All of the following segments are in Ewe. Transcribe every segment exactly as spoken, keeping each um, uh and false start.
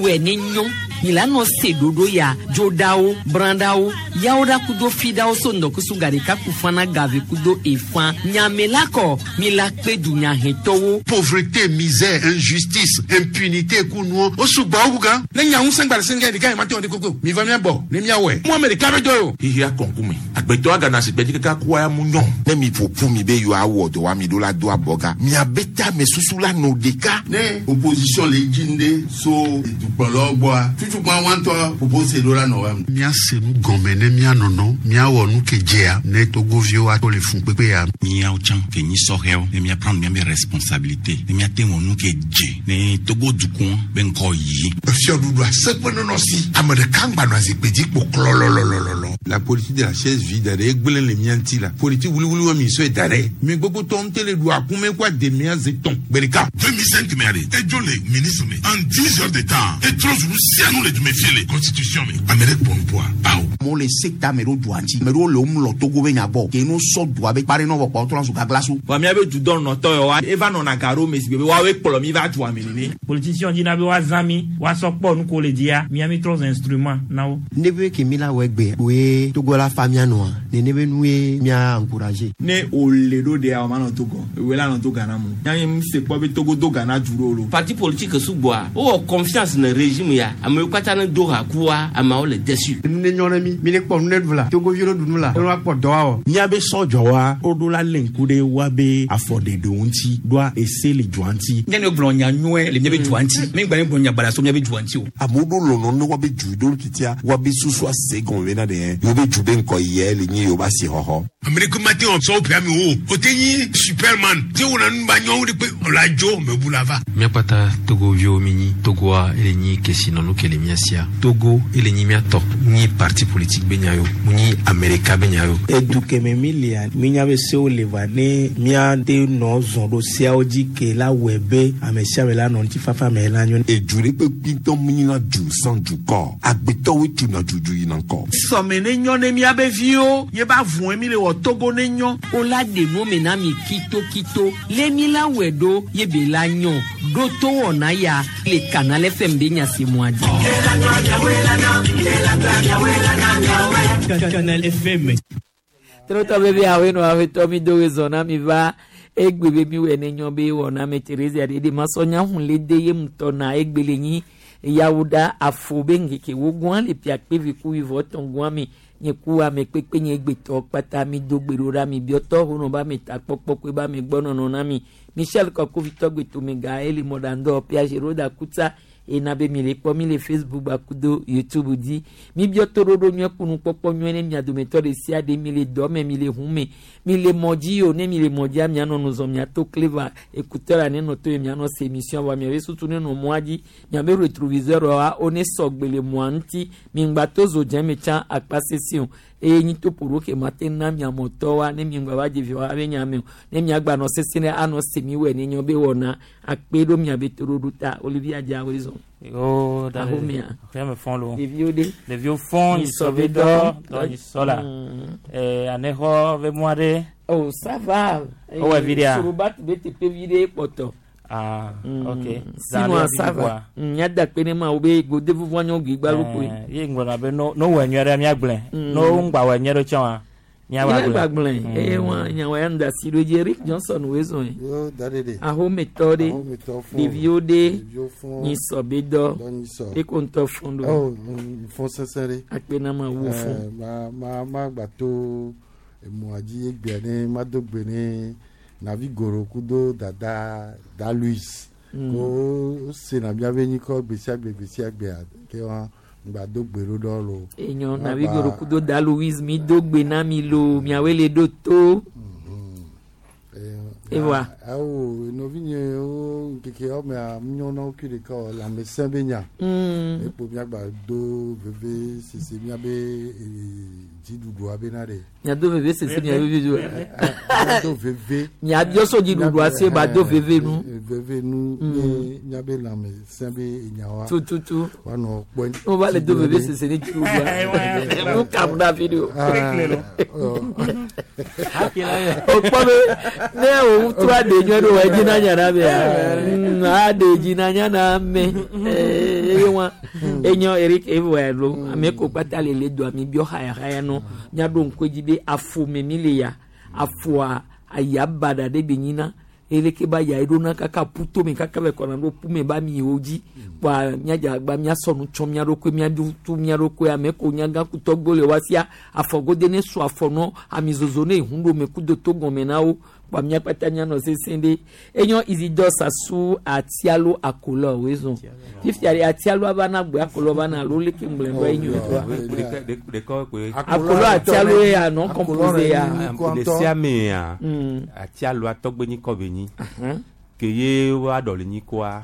wɛ ne nyɔ mi la nɔ se ɖoɖo ya dzoɖawo brãɖawo yawoɖa kudo fiɖawo so ŋdɔkusu gaɖeka kufana gave kudo efã nyame la kɔ mi la kpe dunyahetɔwo. Pauvreté, misère, injustice, impunité kunuwo o sugbɔ wu gan. Ne nya ŋusẽ gba le sɛngɛ ɖeka yi ma te wɔ de koko mi va mia bɔ ne mia wɔe mu ame ɖeka be dɔ o. Xixia kɔnkume agbetɔ agana si gbɛdzi kaka kua ya mu nyɔ. Ne mi ƒo ƒu mi be yewoawɔ dɔ wa mi ɖo la do abɔga miabe tame susu la nɔ ɖeka. Ne opposition le dzi ŋɖe so dukplɔlawo gbɔa tutukpa wa ŋutɔ propose ɖo la nɔ wa. Míase nu gɔme ne míanɔnɔ míawɔ nu ke dzea ne togoviwo ato le fun kpekpe ya. Míawo tsã ke nyi sɔhɛwo ne míaprendre míabe responsabilité ne míate wɔ nu ke dze ne Togo dukɔ be ŋkɔ yi. Fiɔɖuɖu aseƒe nɔnɔ si ame ɖeka ŋgba nɔ zikpui dzi kpo klɔlɔlɔlɔlɔ. La politique de la chaise vide ɖe egblẽ le mía ŋuti la politique wuliwuli wa mi sɔe da ɖe mi gbogbo tɔ ŋute le ɖu akume kó ademea ze tɔn gbe ɖeka. deux mille cinq me ale edzo le ministre me en dix heures de temps etrɔ zu nu sia nu le dume fie le constitution me ame ɖe kpɔ nupoa awo. Amewo le sekta me ɖo dua ŋuti ame ɖewo le wo mlɔ Togo be nya gbɔ ke no sɔ dua be kpa ɖe nɔ vɔ kpa wotrɔ zu gagla so. Vɔ míabe dudɔnɔtɔ yawoa eva nɔna ga ɖo me si be woawoe kplɔ mi va dua me nene. Politicien dina be woazã mi woasɔ kpɔ nu ko le dzia mía mi trɔ zu instrument na wo. Ne be ke mi la wɔ egbe woe Togo la fa mía nɔa nene be nu ye mía encourager. Ne wòle ɖo ɖea o ma nɔ Togo ewoe la nɔ to Ghana mu míabe mi se kpɔ be Togo do Ghana du ɖo lo. Parti politique sugbɔa wowɔ confiance ne régime ya amewo katã ne do ha kua ameawo le déçu. Nu ne nyɔ ne mi mi ne kpɔ nu ne ɖu la togoviwo ɖu nu la ne woakpɔ dɔ awɔ. Míabe sɔdzɔwa woɖo la lé ŋku ɖe woabe afɔɖeɖewo ŋuti ɖoa ese le dua ŋuti. Ne ne gblɔ nya nyuie le míabe dua ŋuti mi gba ne gblɔ nya baɖa so míabe dua ŋuti o. Amewo ɖo lɔlɔ ne woabe du ɖo titia woabe susu ase gɔme bena ɖe yewo be du be ŋkɔ yie le nyi yewo be asixɔxɔ. Ame ɖe ke ma te wɔ sɔwo ƒea mi o o te nyi superman te wɔna nu ba nyɔnu ɖe kpe o la dzo me bu la va. Míakpata togoviwo mi nyi Togoa ele nyi kesinɔnu ke le mía sia Togo ele nyi míatɔ nyi parti politique be nya yo mu nyi Amerika be nya yo. Edu keme mi lia minya be sewo le va ne míate nɔ zɔn ɖo seawo dzi ke la wɔe be ame sia ame la nɔ ŋutifafa me la nyo. Edu ɖe kpekpe ŋutɔ mu nyina du sans dukɔ agbetɔwoe tuna dudu yina ŋkɔ. Sɔme ne nyɔ ne míabe viwo ye ba vɔe mi le wɔ Togo ne nyɔ. O la ɖe nu me na mi kitokito le mi la wɔ ɖo ye be la nyɔ ɖo to wɔna ya le Canal F M be nyasemua dzi. Canal F M. Trɔtɔ bebe awo nɔ aƒetɔ mi do zɔ na mi va egbe be mi wɔ ne nyɔ be wɔna me Teresa ɖe ɖe masɔ nya hun le de ye ŋutɔ na egbe le nyi yawo ɖa afo be ŋkeke wo gɔn le pia kpe ku wivɔ tɔn gɔn mi nye ku ame kpekpe nye gbetɔ kpata mi do gbe ɖo ɖa mi biɔtɔ honɔ ba mi ta kpɔkpɔ kpe ba mi gbɔ nɔnɔ na mi Michel Kɔkovitɔ gbetome ga eli mɔɖandɔ Piagero da kutsa ena be mi le kpɔ mi le Facebook gbakudo YouTube dzi mi biɔ toɖoɖo nyuie kunu kpɔkpɔ nyuie ne mia dometɔ ɖe sia ɖe mi le dɔ me mi le ʋu me mi le mɔ dzi o ne mi le mɔ dzia mianɔ nuzɔ miato clé écouteur la ne nɔ to ye mianɔ se émission vɔ miabe susu ne nɔ mɔa dzi miabe rétroviseur wa wo ne sɔgbe le mɔa ŋuti mi ŋgba to zo dze me tsã akpa sese o eye nyi to ƒo ɖo ke ma te na miamɔtɔ wa ne mi ŋgba va dze vi wa be nya me o ne miagba nɔ sese ne anɔ se mi wɔ ne nyɔ be wɔna akpe ɖo miabe toɖoɖo ta Olivier Adja wo zɔn. Oh, Ahomea. Rien me font lo. Ɖeviwo ɖe. Ɖeviwo fɔn Yi yi sɔ sɔ be be dɔ. Dɔ dɔ yi sɔ la. Eh, anexɔ be mɔ ɖe. Oh, ça va. O wɔ vi ɖea? Soroba be teƒe vi ɖe kpɔtɔ. Ah, ok. Sinon ça va. Míada kpe ne ma wo be gode vuvu anyɔ gbigba ló koe. Ye ŋgblɔna be no no wɔ nyuie ɖe míagblẽ. Mm. No ŋgba wɔ nyuie ɖe tsã wa. Míagba Míagba gblẽ. Eye wa nyawo ya ŋda si ɖo dzi Eric Johnson woe zɔn ye. Yo, da ɖe ɖe. Ahometɔ ɖe. Ahometɔ fɔn. Ɖeviwo ɖe. Ɖeviwo fɔn. Nyi sɔ be dɔ. Dɔ nyi sɔ. Eko ŋutɔ fɔn ɖo. Oh, mm, fɔn sesẽ ɖe. Akpe na ma wo fɔn. Eh, ma ma ma gba to emɔa dzi egbea ne ma do gbe ne navi goro kudo dada da Louis. Mm. Ko wo sena miabe nyikɔ gbe sia gbe gbe sia gbea ke wa ŋgba do gbe ɖo ɖɔ lo. Enyo Ma navi gba- goro kudo da Louise mi do gbe na mi lo miawoe le ɖo to. Ewa. Awo nɔvinye wo ŋkeke wɔmea nyɔ na wo kui ɖeka o lãmesẽ be nya. Mm. Ekpo miagba do veve sese miabe eh, dziɖuɖua be na ɖe. Miado veve sese miabe vivi. Miado veve. Miabiɔ so dziɖuɖua se ba do veve nu. Veve nu Mm. ne miabe lãmesẽ be enyawoa. Tututu. Woanɔ kpɔe. On va le do veve sese ne dziɖuɖua. Nu kam ɖe afi ɖe o. Ah, O kpɔ be ne o ŋutsua de nyɔ ɖo edzi na nya na me a de dzi na nya na me eye wa enyo Eric evoa lo ame ko kpata le le do ami bio haya haya no miaɖo ŋku edzi be afo me mi le ya afoa aya baɖa ɖe be nyina eleke ba ya eɖona kaka ƒuto me kaka be kɔna ɖo ƒu me ba miwo dzi kpoa miadze agba miasɔ nu tsɔ mia ɖokui miaɖu tu mia ɖokui ame ko nyagã kutɔgbo le wa sia afɔgode ne su afɔ nɔ amizozo ne ehun ɖo me kudo to gɔme na wo kpoa mia kpata mianɔ sesẽ ɖe enyo Isidore Sasu atialo akolɔ woe zɔn fifia ɖe atialo ava na gbe akolɔ va na alo leke ŋgblẽ ŋgɔ enyo akolɔ atialo ya non composé ya le sia mea atialo atɔgbe nyi kɔ be nyi ke ye wa dɔ le nyi kɔa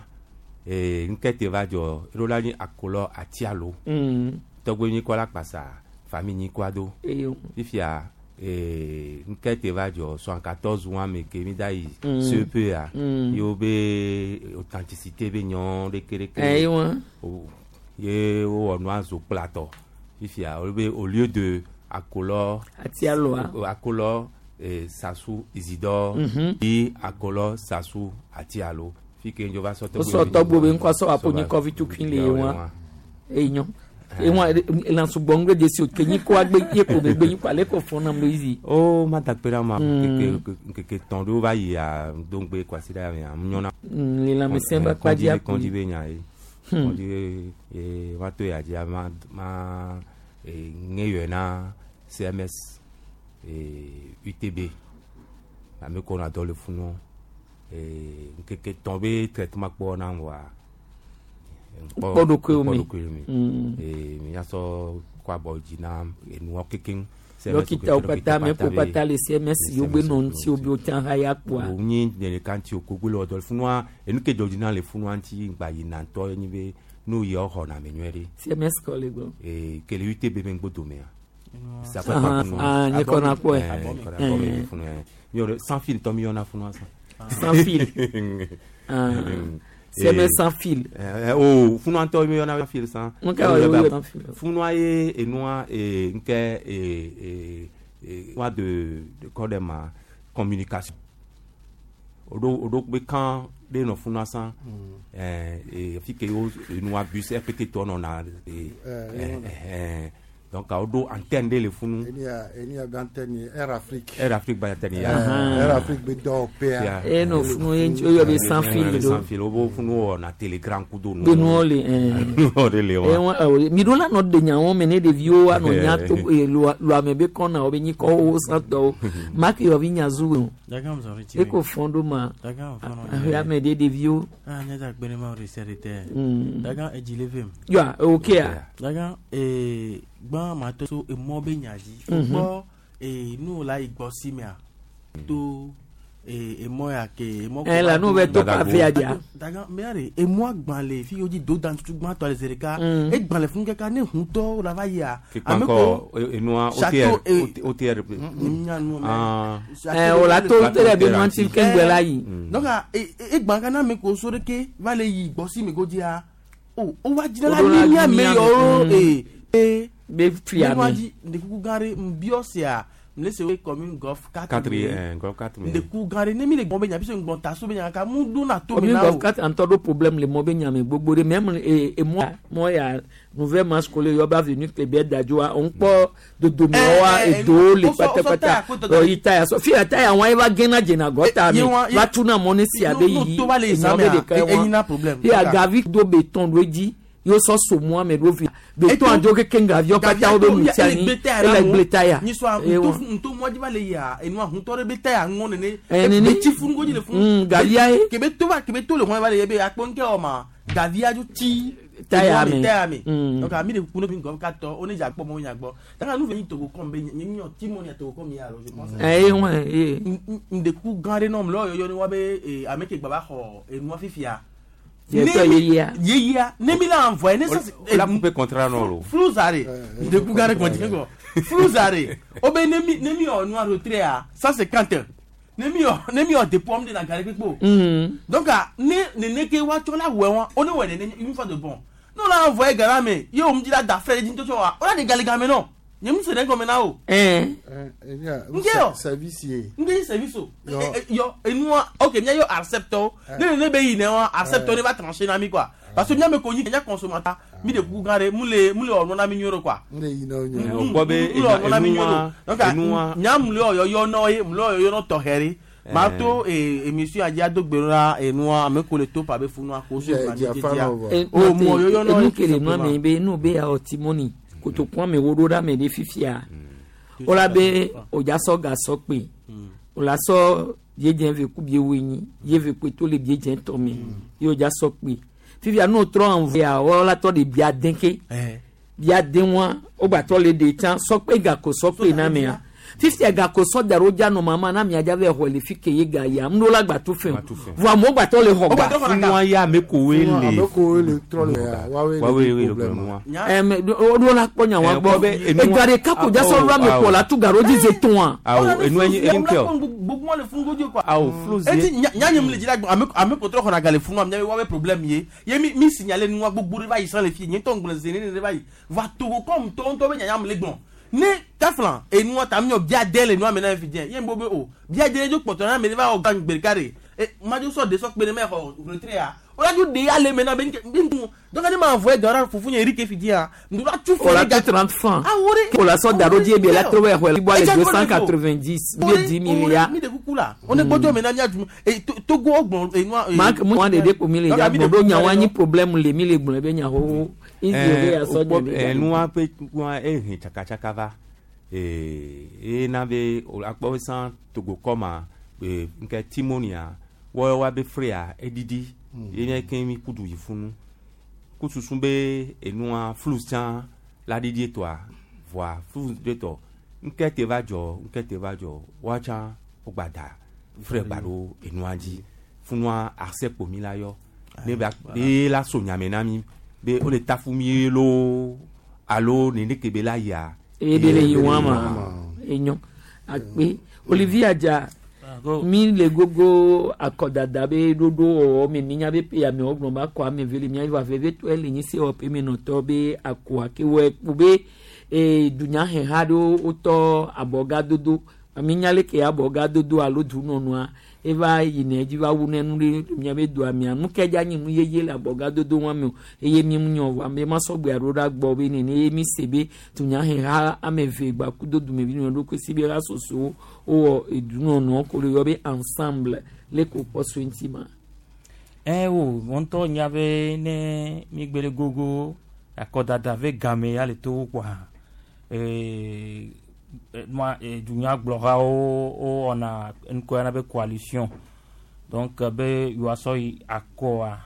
ee nkete va dzɔ eɖo la nyi akolɔ atialo tɔgbe nyi kɔ la kpasa fami nyi kɔa do fifia ee nkete va dzɔ soixante-quatorze wa me ke mi da yi C P A yewo be authenticité be nyɔ ɖeke ɖeke ye wowɔ nua zo kplatɔ fifia wo be au lieu de akolɔ atialo akolɔ eh, Sasu Isidore mm -hmm. i akolɔ Sasu atialo fi ke njo va sɔ tɔgbo sɔ tɔgbo be ŋkɔ sɔ apo nyi kɔvi tukui le wa enyo ewa lansugbɔ ŋgbe de si o ke nyi ko agbe ye ko be gbe nyi ko ale ko fɔn nam lo izi. O ma da kpe ɖe ma nkeke nkeke tɔn ɖewo va yi a dongbe kwasi ɖe ya nyɔna. Le lãmesẽ be akpa dzi akpo kɔndzi be nya ye kɔndzi ye va to ya dzi ma ma ŋe yɔe na C M S U T B ame ko na dɔ le funu nkeke tɔn be traitement kpɔ na wa kpɔ ɖokuiwo me miasɔ kɔ abɔ dzi na enuɔ kekeŋ. Dɔkitawo kpata ame ko kpata le C M S yewo be nɔ ŋuti wo be wotsã ha ya kpoa. O nyi ɖeka ŋuti o gbogbo le wɔ dɔ le funua enu ke dzɔ dzi na le funua ŋuti gba yina ŋutɔ nye be nu yɔ xɔna me nyuie ɖe. C M S kɔ le gbɔ. Ee kele U T B be ŋgbo domea. Ah, nye kɔna kpɔe. Sans fil tɔ mi yɔna funua sa. Sans fil. C M S sans fil. Oh, funua ŋutɔ mi yɔna fil san. Nka wɔ yɔ sans fil. Funua ye enua ee nke ee ee wa de de kɔ de ma communication. Odo odo be kan de nɔ funua san. Ɛɛ fi ke wo enua bus R P T tɔ nɔ na ee ɛɛ. Donc, a do antenne de le funu. Il y a il y a antenne Air Afrique. Air Afrique ba antenne ya. Air Afrique be do P A. E no funu ye yo be sans fil do. Sans fil obo funu na Telegram kudo no. Be no le eh. No de le wa. Eh mi do la no de nya won me ne de vio wa no nya to e lo lo ame be kon na obe nyi ko o san to. Ma ke yo vi nya zu. E ko fondo ma. Ya me de de vio. Ah nya da gbere ma o reserite. Daga e jilevem. Ya okay. Daga eh gbɔn ma to so emɔ be nya dzi gbɔ ee nu la yi gbɔ si mea to ee emɔ ya ke emɔ. Ɛ la nu bɛ to kafe ya dia. Daga mɛ de emɔ gbã le fi yio dzi do dan tutu gbãtɔ le zi ɖeka egbã le funu kaka ne huntɔ la va yia. Kekpankɔ enua O T R O T R. Ɛ o la to O T R bi ŋuti kengbe la yi. Donc egbã kana me ko so ɖeke va le yi gbɔ si me go dzia o o wa dzina la mi mia me yɔ ee ee. Be fia mi ndekuku gã ɖe nbiɔ sia mle se commune golf quatre golf quatre ndekuku gã ɖe ne mi le gbɔn be nya bi se ŋgbɔn ta so be nya ka mu do na to mi na o commune golf quatre ŋutɔ ɖo problème le mɔ be nya me gbogbo ɖe même e emɔ mɔ ya nouvelle marche kole yɔ be avenue Kléber Dadjoa on kpɔ dodomewoa edowo le pátápátá yi taya sɔ fi taya wɔn eva gena dzena gɔta me va tuna mɔ ne sia be yi emɔ be ɖeka wɔn fi agavi do béton ɖo edzi yo sɔ so mɔ ame ɖo fi béton adzo keke ŋgaviɔ katã wo be ŋutia ni ele gble taya. Nyisɔ nto mɔ dzi va le yia enua huntɔ ɖe be taya ŋɔ nene. Nene etsi funu ko dzi le funu. Gavia ye. Kebe to va kebe to le hɔn va le ye be akpɔ ŋkɛ wɔ ma gavia dzo tsi taya me taya me. Donc ami de kuno bi gɔm katɔ o ne dza kpɔ mɔ nya gbɔ. Daga nu ve nyi togo kɔm be nye nyɔ ti mɔ nya togo kɔm ya lo je pense. Ɛɛ wɔn ye. Ndeku gã ɖe nɔm lɔ yɔyɔ ne wa be ame ke gba va xɔ enua fifia. Yɛtɔ yeyia. Yeyia ne mi la envoyé ne sa. La coupe contrat non lo. Fluzare ndeku gã ɖe kɔnti kɔ Fluzare o be ne mi ne mi wɔ nua retrait a cent cinquante ne mi wɔ ne mi wɔ dépôt am de na gare kpekpe o. Donc ne nene ke wa tsɔ la wɛ wa o ne wɛ nene une fois de bon. Ne la envoyé gala me ye o mu dzi la da fɛ de dzi ŋutɔ wa o la de gale game nɔ. Nye mu se ɖe gɔme na o. Ɛn. Nke yɔ. Service ye. Nke yi service o. Yɔ enua ok mia yɔ acceptɔ ne ne be yi ne wa acceptɔ ne va trancher na mi quoi parce que mia me ko nyi nya consommateur mi de kuku gã ɖe mu le mu le wɔ na mi nyuie ɖo quoi. Mu le yi na wo nyuie. O gbɔ be Mu le wɔ na mi nyuie ɖo. Donc enua nya mu le wɔ yɔyɔ nɔ ye mu le wɔ yɔyɔ nɔ tɔxɛ ɖe. Ma to émission a dzi ado gbe na enua ame ko le to pa be funua ko so Dze- dze afa nɔ vɔ. O mu wɔ yɔyɔ nɔ enu kele nua me be nu be ya ɔtimoni kotoku ame wo ɖo ɖe ame ɖe fifia wola be wòdza sɔ gasɔ kpe wòla sɔ biedze ve ku bie woenyi ye ve kpe to le biedze tɔ me ye wòdza sɔ kpe fifia nu trɔ envoya wola tɔ de bia den ke bia den wa wogba tɔ le de tsã sɔkpe gako sɔkpe na mea fifia gako sɔ da ɖe wodza nɔ mama na mia dza va xɔ le fi ke ye ga ya ŋu ɖo la gba to fɛn o vɔ amewo gba tɔ le xɔ ga funua ya ame kowoe le Ame kowoe le trɔ le ya woawoe woawoe le le problème. nua. ɛmɛ o la kpɔ nya wa Eh, gbɔ kpɔ be enua- ega ɖeka ko dza sɔ ɖo ame Awo. kɔ la tu ga ɖo dzi ze tɔn Awo enua nyi enke o. Gbogbo le funu godo quoi. Awo fluzi. Eti nya nya nye mu le dzi la gbɔ ame ame ko trɔ xɔna ga le funua mia be woabe problème ye ye mi mi signaler nua gbogbo ɖe va yi sã le fi nye ŋutɔ ŋgblẽ ze ne ne va yi va Togo comme tɔ ŋutɔ be nyanya mu le gbɔn ne taflan enua ta mi yɔ bia de le nua me na fi diɛ ye ŋgbo be o bia de dzo kpɔtɔ na ame ɖe va wɔ gan gbe ɖeka ɖe e madzo sɔ de sɔ kpe ɖe me xɔ retrait ya o la dzo de ya le me na be nke bi ŋu donc ne ma envoyé dɔ la fufu nye Eric fi dia ŋdu la tu o la tu trente francs Ah, wo de o la sɔ da ɖo dzi ebe la trɔ bɛ xɔ le Edza deux kɔ cent le fo. quatre-vingt-dix bie dix milliards mi de kuku la o ne gbɔdzɔ me na mia du e to- Togo gblɔ enua mak mu wa ɖeɖe ko mi le dza gbɔ ɖo nya wa nyi problème le mi le gblɔ be nya xoxo izi be ya sɔ Eh, dze ɖe enua ƒe nua ehe tsakatsaka va ee ena be o akpɔ be sã Togo kɔma ee nke timonia wɔwɔ wa be frea eɖiɖi ye nye ke mi kudu yi funu kususu be enua flus tsã la ɖiɖi etɔa voa flus ɖe tɔ nke te va dzɔ nke te va dzɔ woa tsã wogba da fre gba ɖo enua dzi funua ase kpo mi la yɔ ne ba ne la so nyame na mi be wole tafu mi loo alo nene ke be la yia. eye ɖe le yi wa ma enyo akpe Olivier Adza mi le gogo akɔdada be ɖoɖo wɔwɔ me mi nya be pe amewo gblɔ be akɔ ame ve le mia va veve tɔe le nyi se wɔ pe me nɔtɔ be akɔa ke wɔ kpo be ee dunyaheha ɖewo wotɔ abɔgadodo mi nya leke abɔgadodo alo dunɔnua eva yina edzi va wu ne nu ɖe mia be doa mia nu ke dza nyi nu yeye le abɔgadodo wa me o eye mi mu nyɔ vɔ ame ma sɔgbe alo ɖa gbɔ be nene eye mi se be dunyaheha ame eve gba kudo dumevi nɔ ɖokui si be ha sosowo wowɔ edunɔnɔ ko le yɔ be ensemble le ko kpɔ so ŋuti ma. ɛ wo ŋutɔ nya be ne mi gbe le gogo akɔdada ve game ya le to kpoa ee nua ee dunyagblɔhawo wowɔna ŋkɔ yana be coalition donc be yewoasɔ yi akɔa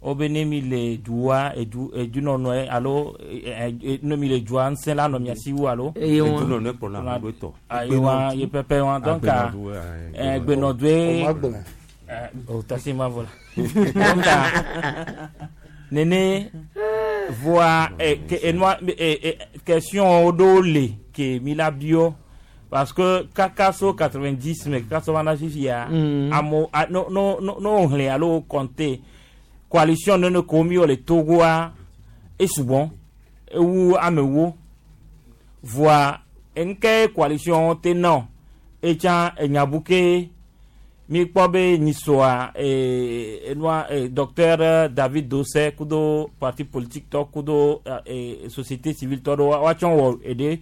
wobe ne mi le dua edu edunɔnɔe alo ɛ ɛ ne mi le dua ŋusẽ la nɔ mia si wu alo. Eye wa. Edunɔnɔe kplɔna ame ɖo tɔ. Ayi wa ye pɛpɛ wa donc Agbenɔdue, ayi, ɛ gbenɔdue. O ma gblẽ. Ɛ o tasi ma vɔ la donc nene voa ɛ ke enua ɛ ɛ question ɖewo le ke mi la biɔ parce que kaka so quatre-vingt-dix me kaka so va na fifia Mm. amewo a no no no no wo xlẽ alo wo compter coalition nene ko mi wɔ le Togoa esugbɔ ewu amewo voa nke coalition te nɔ etsã enyabu ke mi kpɔ be nyisɔa ee enua ee docteur David Dosseh kudo parti politique tɔ kudo ee société civile tɔ ɖewo woatsɔ wɔ eɖe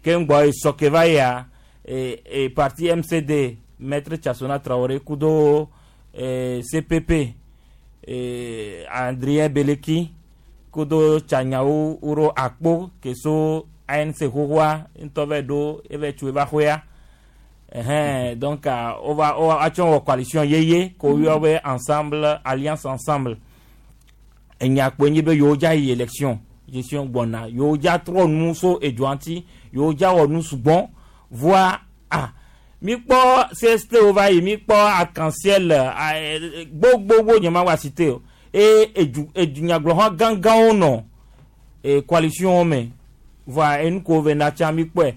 ke ŋgbɔ esɔ ke va yia ee ee parti M C D maître Tchassona Traoré kudo ee C P P ee Adrien Beleki kudo Tsanyawo wuro akpo ke so A N C xoxoa ŋutɔ va ɖo eva tso eva xoya ɛhɛn donc ah, on va on va atsɔ wɔ coalition yeye ko yɔ be ensemble, alliance ensemble. Enya kpoe nyi be yewo dza yi élection gestion gbɔna yewo dza trɔ nu so edua ŋuti yewo dza wɔ nu sugbɔ voa ah mi kpɔ C S T wo va yi mi kpɔ arc-en-ciel ah, eh, gbogbogbò nye ma wa cité o eye edu edunyagblɔxɔ gãgãwo nɔ e coalition me voa enu ko ve na tsã mi kpɔe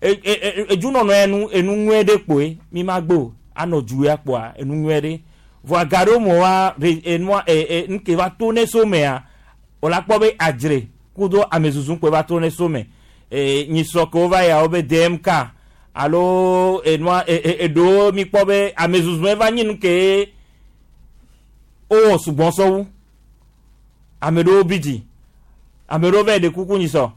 e e e edunɔnɔ ya nu enu nyuie ɖe kpoe mi ma gbe o anɔ du ya kpoa enu nyuie ɖe voa ga ɖewo me wa re enua e e nuke va to ne so mea wòle akpɔ be adzre kudo amezuzu kpoe va to ne so me. E nyisɔ ke wova ya wo be D M K alo enua e e eɖewo mi kpɔ be ame zuzue va nyi nu ke wowɔ sugbɔ sɔwu. Ame ɖewo bi dzi, ame ɖewo va yi ɖe kuku nyisɔ,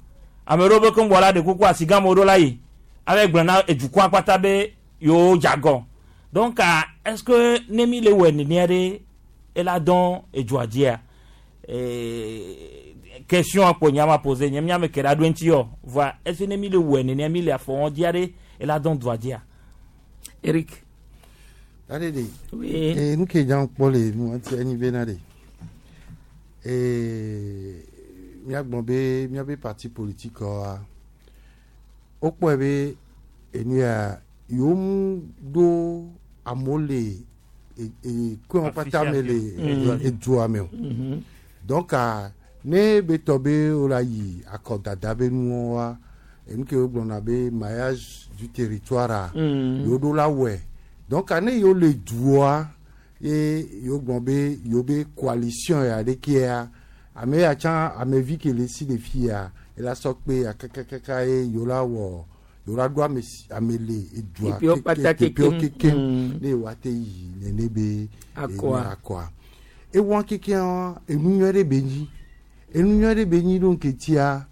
ame ɖewo be keŋ bɔ la ɖe kuku asigãme ɖo la yi ave gblɔ na edukɔa kpata be yewo dze agɔ. Donc est ce que ne mi le wɔ nenea ɖe ela dɔn edzoa dzia? Question kpo nya ma posé nye miame ke la ɖo ŋuti yɔ voa, est ce que ne mi le wɔ nenea, mi le afɔ wɔn dzia ɖe, ela dɔn dua dzia? Eric. Ade de. Oui. Eh, nu ke dza kpɔ le nu ŋuti enyi bena de. Eh, míagblɔ be míabe parti politique wa, wokpɔe be enu ya yewo mu ɖo amewo le e e kɔn kpata me le Mm. edua me o. Mhm. Donc ah, ne be tɔ be wola yi akɔdada be nuwo wa, enu ke wogblɔna be maillage du territoire a, Mm. yewo ɖo la wɔe. Donc ah, ne yewo le dua ye yewo gblɔ be yewo be coalition ya ɖekea, ame ya tsã amevi ke le si le fi ya ela sɔ kpe ya kakakaka ye yewo la wɔ, yewo la ɖo ame si ame le edua Teƒewo kpata teƒewo kekem. kekem Mm. ne yewoa te yi nene be Akɔa. enu akɔa ewa kekea enu nyui ɖe be nyi, enu nyui ɖe be nyi ɖo ŋketia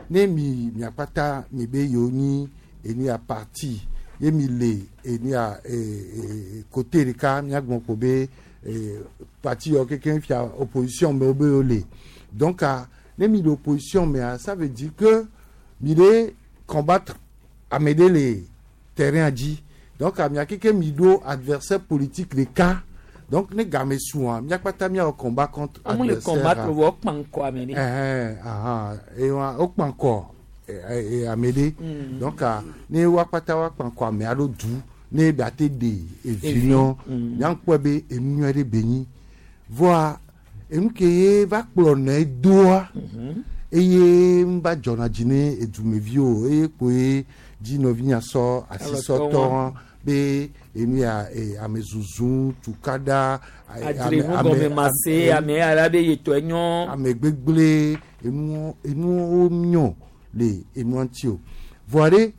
ne mi miakpata mi be yewo nyi enu ya parti ye mi le enu ya e e côté ɖeka, miagblɔ ko be e parti yawo kekem fia opposition me wo be yewo le. Donc ah, ne mi le opposition mea, ça veut dire que mi le combattre ame ɖe le terrain dzi. Donc ah, mia keke mi ɖo adversaire politique ɖeka. Donc ne game sua, miakpata miawɔ combat contre Amu le adversaire combattre a. wɔ kpankɔ ame ɖe. Ɛhɛn, ahan, ewa wokpa ŋkɔ ɛ, ɛ, ame ɖe. Mm. Donc ah, ne woakpata woakpa ŋkɔ ame aɖo du ne be ate ɖe evi nyɔ. Mm. Miakpɔe be enu nyui ɖe be nyi voa enu ke ye va kplɔ nɛ doa eye ŋu va dzɔna dzi ne edumeviwo eye kpoe dzi nɔvinya sɔ asisɔtɔ be enu ya e, ame zuzu tukaɖa ame- Adzre nu ame- gɔme ma se ame ya be yetɔ nyɔ. Ame gbegble enuwo enuwo nyɔ le enua ŋuti o. Vɔa ɖe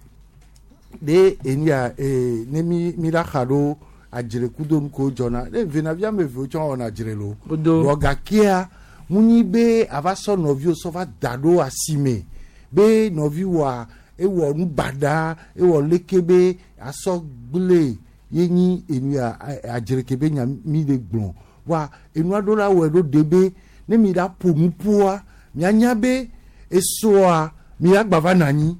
ɖe enu ya ee ne mi mi la xa ɖo adzre kudo nu ko dzɔna ɖe venavi ame evewo tsɔ wɔna adzre lo. Kudo. Vɔ gakea ŋunyi be ava sɔ nɔviwo sɔ va da ɖo asime be nɔvi wɔa ewɔ nu baɖa ewɔ leke be asɔ gble ye nyi enu ya a- adzre ke be nya mi le gblɔ wa enua ɖo la wɔe ɖo de be ne mi la ƒo nu ƒoa mianya be esɔa mi la gba va nɔ anyi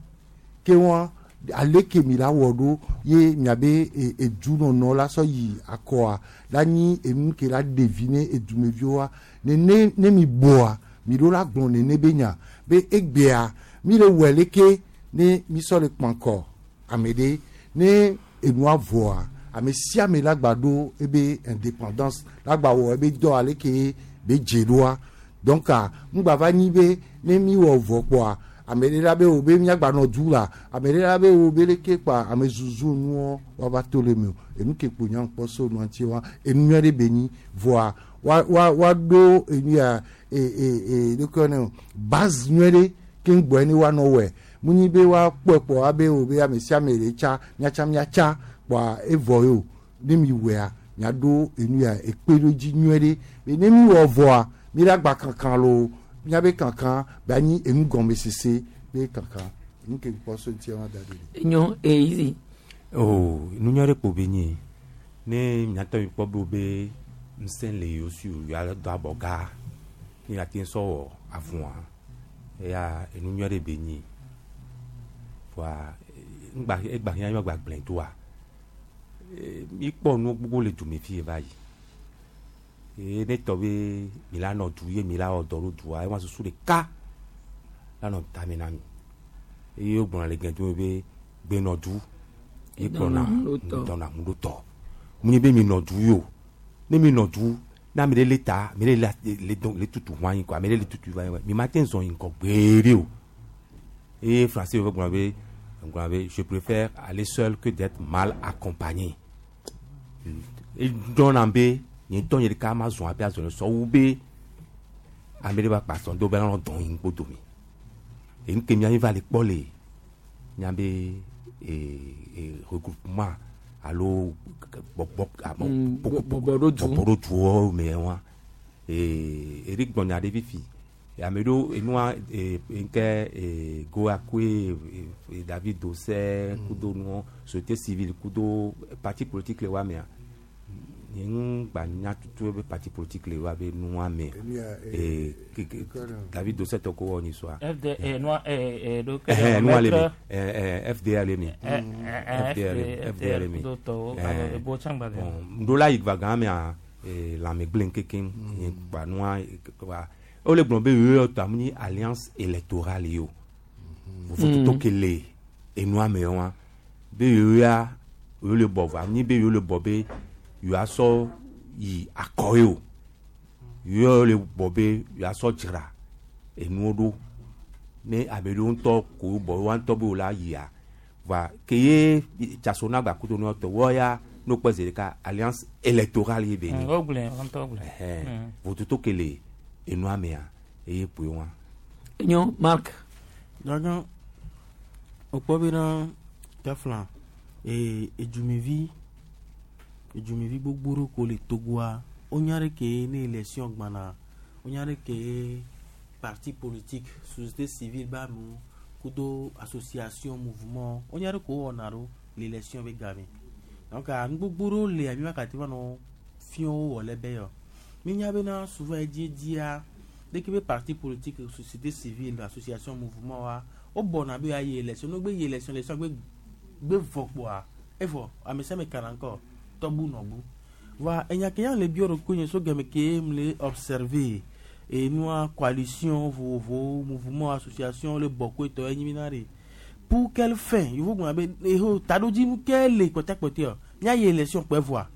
ke wa ale ke mi la wɔ ɖo ye miabe e- edunɔnɔ la sɔ yi akɔa la nyi enu ke la ɖe vi ne edumeviwoa nene ne mi bɔa mi ɖo la gblɔ nene be nya be egbea mi le wɔe leke ne mi sɔ le kpankɔ ame ɖe ne enua vɔa ame sia ame la gba ɖo ebe indépendance la gba wɔ ebe dɔ ale ke be dze ɖoa. Donc ah, ŋgba va nyi be ne mi wɔ vɔ kpɔa ame ɖe la be wo be miagba nɔ du la ame ɖe la be wo be leke kpa ame zuzu nuɔ woava to le me o. Enu ke kpo nya kpɔ so nua ŋuti wa enu nyui ɖe be nyi vɔa wa wa wa ɖo enu ya e e e ɖeke ne o base nyui ɖe ke ŋgbɔe ne woanɔ wɔe munyi be woakpɔe kpɔ abe wo be ame sia ame ɖe tsa miatsa miatsa kpɔa evɔ ye o. Ne mi wɔea miaɖo enu ya ekpe ɖo dzi nyui ɖe be ne mi wɔ vɔa mi la gba kankan lo miabe kankan be anyi enu gɔmesese be kankan nu ke kpɔ so ŋuti wa da ɖe. Nyɔ eyi. Oh, nunya ɖe kpo be nyi ne miatɔ mi kpɔ be wo be ŋusẽ le yewo si o yewoa do abɔ gã ne yeate ŋu sɔ wɔ avua eya enu nyui ɖe be nyi voa ŋgba egba hiã míagba gblẽ doa. E, mi kpɔ nu gbogbo le dume fi va yi eye ne tɔ be mi la nɔ du ye mi la wɔ dɔ ɖo dua ema susu ɖeka la nɔ tame na mi eye wogblɔna le gɛdome be gbenɔ du ye kplɔna dɔnna ŋu ɖo tɔ mu nye be mi nɔ du yi o. Ne mi nɔ du ne ame ɖe le ta ame ɖe le le dɔn le tutu ʋu anyi kɔ ame ɖe le tutu va anyi mi ma te zɔn yi ŋgɔ gbeɖe o. Eye français wo gblɔ be gblɔ be je préfère aller seul que d'être mal accompagné. Edɔna be nye ŋutɔ nye ɖeka ma zɔn abe azɔn sɔ wu be ame ɖe va kpa sɔn do be anɔ dɔn yi ŋgbo dome enu ke mia mi va le kpɔ le Miabe e e regroupement alo bɔbɔ ame Mm, bɔbɔ ɖo du. bɔbɔ ɖo duwo me wa ee Eric gbɔnya ɖe fifi ame ɖewo enua ee nke ee Goa koe ee David Dosɛ kudo nuwo société civile kudo parti politique le wa mea nye ŋu gba nya tutu be parti politique le wa be nua me Enu ya, eh, ee ke- ke- David Dosɛ tɔ ko wɔ nyi soa. F D eh, noa eh, eh, do Ɛhɛn, nua le me maître- Eh, eh, F D A le me. Eh, eh, F D A le me F D A le me. kudo tɔwo, Eh, alo ebo tsãgba le. bon, ŋɖo la yi va gã mea eh, lãme gblẽ kekeŋ nye kpa nua eh, kpa wole gblɔ be yewo tɔ amu nyi alliance électorale yi o vovototo Mm. ke le enua me wa be yewo ya yewo le bɔ vɔ anyi be yewo le bɔ be yewoa sɔ yi akɔ ye o yewo le bɔ be yewoa sɔ dzra enuwo ɖo ne ame ɖewo ŋutɔ ko bɔ woa ŋutɔ be wo la yia va ke ye tsasona gba kudo nua tɔ wɔ ya n'o kpɛ zi ɖeka alliance électorale ye be nyi Mm, wogblɔe, wo ŋutɔ wogblɔe. Ɛhɛn. Mm. Vototo ke le enua mea eye kpoe wa. Enyo Mark. Gangan wokpɔ bena kafla ee edzumevi edzumevi gbogbo ɖewo ko le Togoa wonya ɖe ke ne élection gbana wonya ɖe ke parti politique société civile be amewo kudo association mouvement wonya ɖe ko wowɔna ɖo le élection be game donc nu gbogbo ɖewo lia mi va kate va nɔ fiɔwo wɔ le be yɔ minya bena souvent edziedzia dès que be parti politique société civile association mouvement wa wobɔna be ayi élection no gbe yi élection élection gbe gbe vɔ kpoa evɔ ame sia ame kana ŋkɔ tɔbu nɔbu va enya ke ya le biɔ ɖo nye so game ke m le observer enua coalition vovovo mouvement association le bɔkoe tɔ enyi mi na de pour quelle fin yevo gblɔna be eho taɖodzinu ke le kpɔtɛkpɔtɛ míayi élection kpɛ vɔa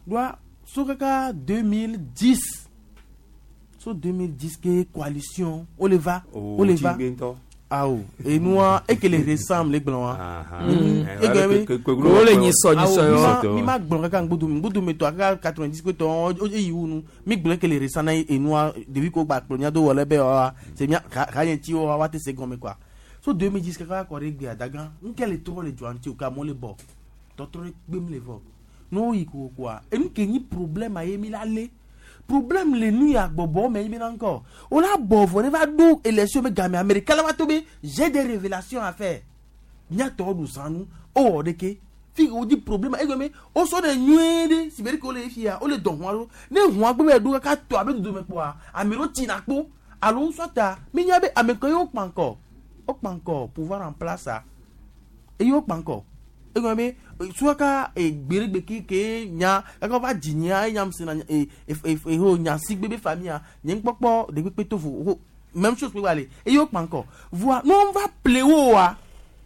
doa so kaka deux mille dix so deux mille dix ke coalition wole va wole va awo enua ekele récent le gblɔ wa Wole nyi sɔ, nyi sɔ yɔ. mi ma gblɔ kaka ŋgbodome ŋgbodome tɔ kaka quatre-vingt-dix ko tɔ eyi wu nu mi gblɔ ekele récent na enua ɖevi ko gba kplɔ mía do wɔ le be wa c'est mía ha nye ŋuti wa wa te se gɔme quoi so deux mille dix kaka kɔ ɖe gbea dagã nke le trɔ le dzoa ŋuti o ka amewo le bɔ tɔtrɔ ɖe kpem le vɔ ne woyi kokoa enu ke nyi problème a ye mi la lé problème le nu ya gbɔbɔ me yi bena ŋkɔ o la bɔ vɔ ne va ɖo élection be game américain la va to be j'ai des révélations à faire miatɔ ɖu zanu o wɔ ɖeke fi wo di problème egɔme o sɔ ɖe nyuie ɖe si be ɖeke wole fia wole dɔ hɔn ɖo ne hɔn gbe be ɖo kaka tɔ abe dodome kpoa ame ɖewo tsina kpo alo sɔta mi nya be ame ke ye wo kpa ŋkɔ wo kpa ŋkɔ pouvoir en place a eye wo kpa ŋkɔ egɔme be suaka egbeɖegbe ke ke nya kaka va dzi nya enya sena e e e nya sigbe be famille nye ŋkpɔkpɔ ɖekpekpe to vo ho même chose kpe gba le eye wo kpa ŋkɔ voa ne wo va ple wo wa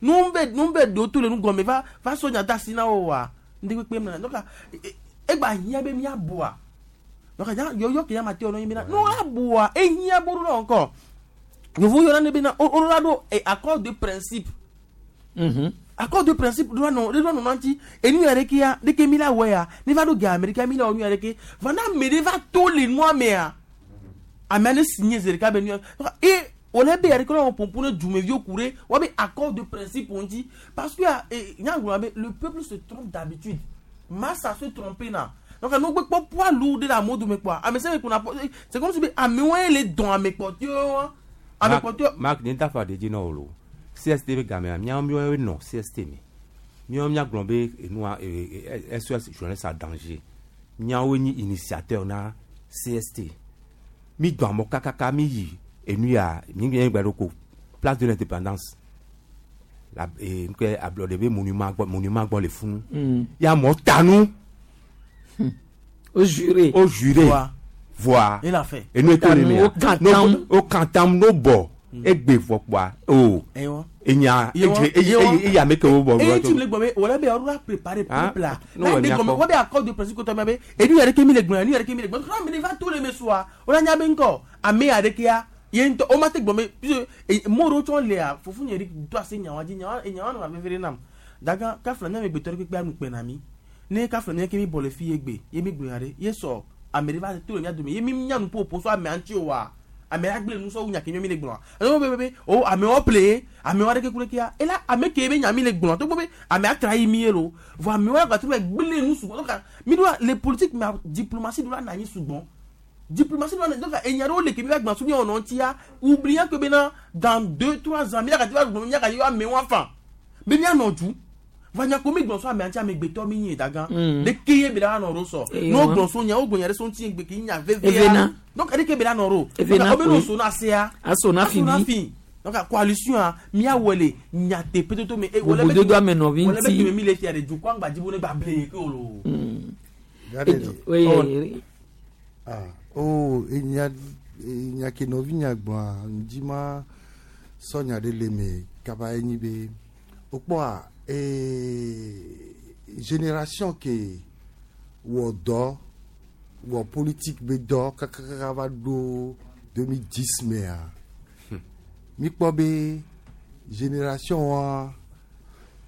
ne wo va ne wo va ɖewo to le nu gɔme va va sɔ nya da asi na wo wa ŋdekpekpe mena donc egba hiã be míabua donc nya yɔyɔ ke nya ma te wɔ nɔ nyi bena ne wo abua ehiã bo ɖo na ŋkɔ yevu yɔna ne bena wo la ɖo accord de principe accord de principe ɖo nɔ ɖo nɔ ŋuti enu ya ɖeke ya ɖeke mi la wɔ ya ne va ɖo ga américain mi la wɔ nu ya ɖeke va na ame ɖe va to le nua mea amea ne signé zi ɖeka be nu ya et wòle be ya ɖeke wɔ ƒoƒu ne dumeviwo ku ɖe wɔ be accord de principe ŋuti parce que eh, nyagblɔ be le peuple se trompe d'habitude massa se tromper na donc nu gbe kpɔ poids lourd ɖe le amewo dome kpɔa ame sia ame kpɔna c'est comme si be amewo ye le dɔn ame kpɔtɔewo ame kpɔtɔewo. Mark ne dafa de dzi na wo lo C S T be gamea míawo míawo nɔ C S T me míawo míagblɔ be enua S O S jeunesse en danger míawo nyi initiateur na C S T mi dɔn amewo kakaka mi yi enu ya mi mi gba ɖo ko place de l'Indépendance la ee nke ablɔɖe be monument gbɔ monument gbɔ le funu Mm. ya amewo ta nu. O juré. O juré. Voa. Voa. Il a fait. Enu eto le mea. O kantam. O kantam no bɔ egbe vɔ kpoa o. Ewa. Enya Yewa. eye Yewa. eye ame ke wo bɔ. Eye tí mi le gbɔ be wòle be ɔɖo préparer Ah, peuple la n'o n'a wɔ de mia gɔmɛ kɔ. wọ́n bɛ accord de principe kotɔ mɛ be enu yɛrɛ ke mi le gbɔn enu yɛrɛ ke mi le gbɔn kɔnɔ mi de va to le me soa wòle nya be ŋkɔ ame yà ɖe kia ye ŋutɔ o ma te gbɔn be puisque mɔ ɖewo tsɔ lea fufu nye ɖi do ase nyawa dzi nyawa nyawa nɔ veve ɖe nam daga kafla ne ame gbetɔ ɖe kpekpe anu kpɛ na mi ne kafla ne ke mi bɔ le fi ye gbe ye mi gblɔ ya ɖe ye sɔ ame ɖe va to le mia dome ye mi nya nu ƒoƒo so amea ŋuti o wa Ame la gblẽ nu sɔ wu nya ke mi le gblɔa. Alo be be be o amewo ple amewo aɖeke ku ɖe kia. Ela ame ke be nya mi le gblɔa togbɔ be ame atra yi mi ye lo. Vɔ amewo la gba trɔ gblẽ nu sugbɔ. Donc mi do le politique mais diplomatie do la na anyi sugbɔ. Diplomatie do la donc enya ɖewo le ke mi va gblɔ su mi wɔnɔ ŋutia oubliant que bena dans deux trois ans mi la gati va gblɔ mi la gati amewo afa. Be mianɔ du. Vanya ko mi gblɔ so ame ŋuti amegbetɔ mi nyi dagan. Mm. Ɖeke ye be la nɔ ɖo sɔ. Eye Ne wo wa. gblɔ so nya wo gblɔ nya ɖe so ŋuti gbe ke nya vevea. Evena. Donc ɖeke be la nɔ ɖo. Evena Donc, wo be koe. no so na sea. Aso na fi Aso na bi. fi. Donc coalition a miawɔ le nyateƒe toto me. E, wòle be Bobododo ame nɔvi wòle be ŋuti. keme mi le fia ɖe dukɔ aŋgbadzi bo ne gba ble ke o lo. Gade E- oui, Oh. oui. Ah, oh, enya enya ke nɔvi nya gblɔa ŋdi ma sɔ nya ɖe le me kaba enyi be wokpɔa ee génération ke wɔ dɔ wɔ politique be dɔ kakakaka va ɖo deux mille dix mea mi kpɔ be génération wa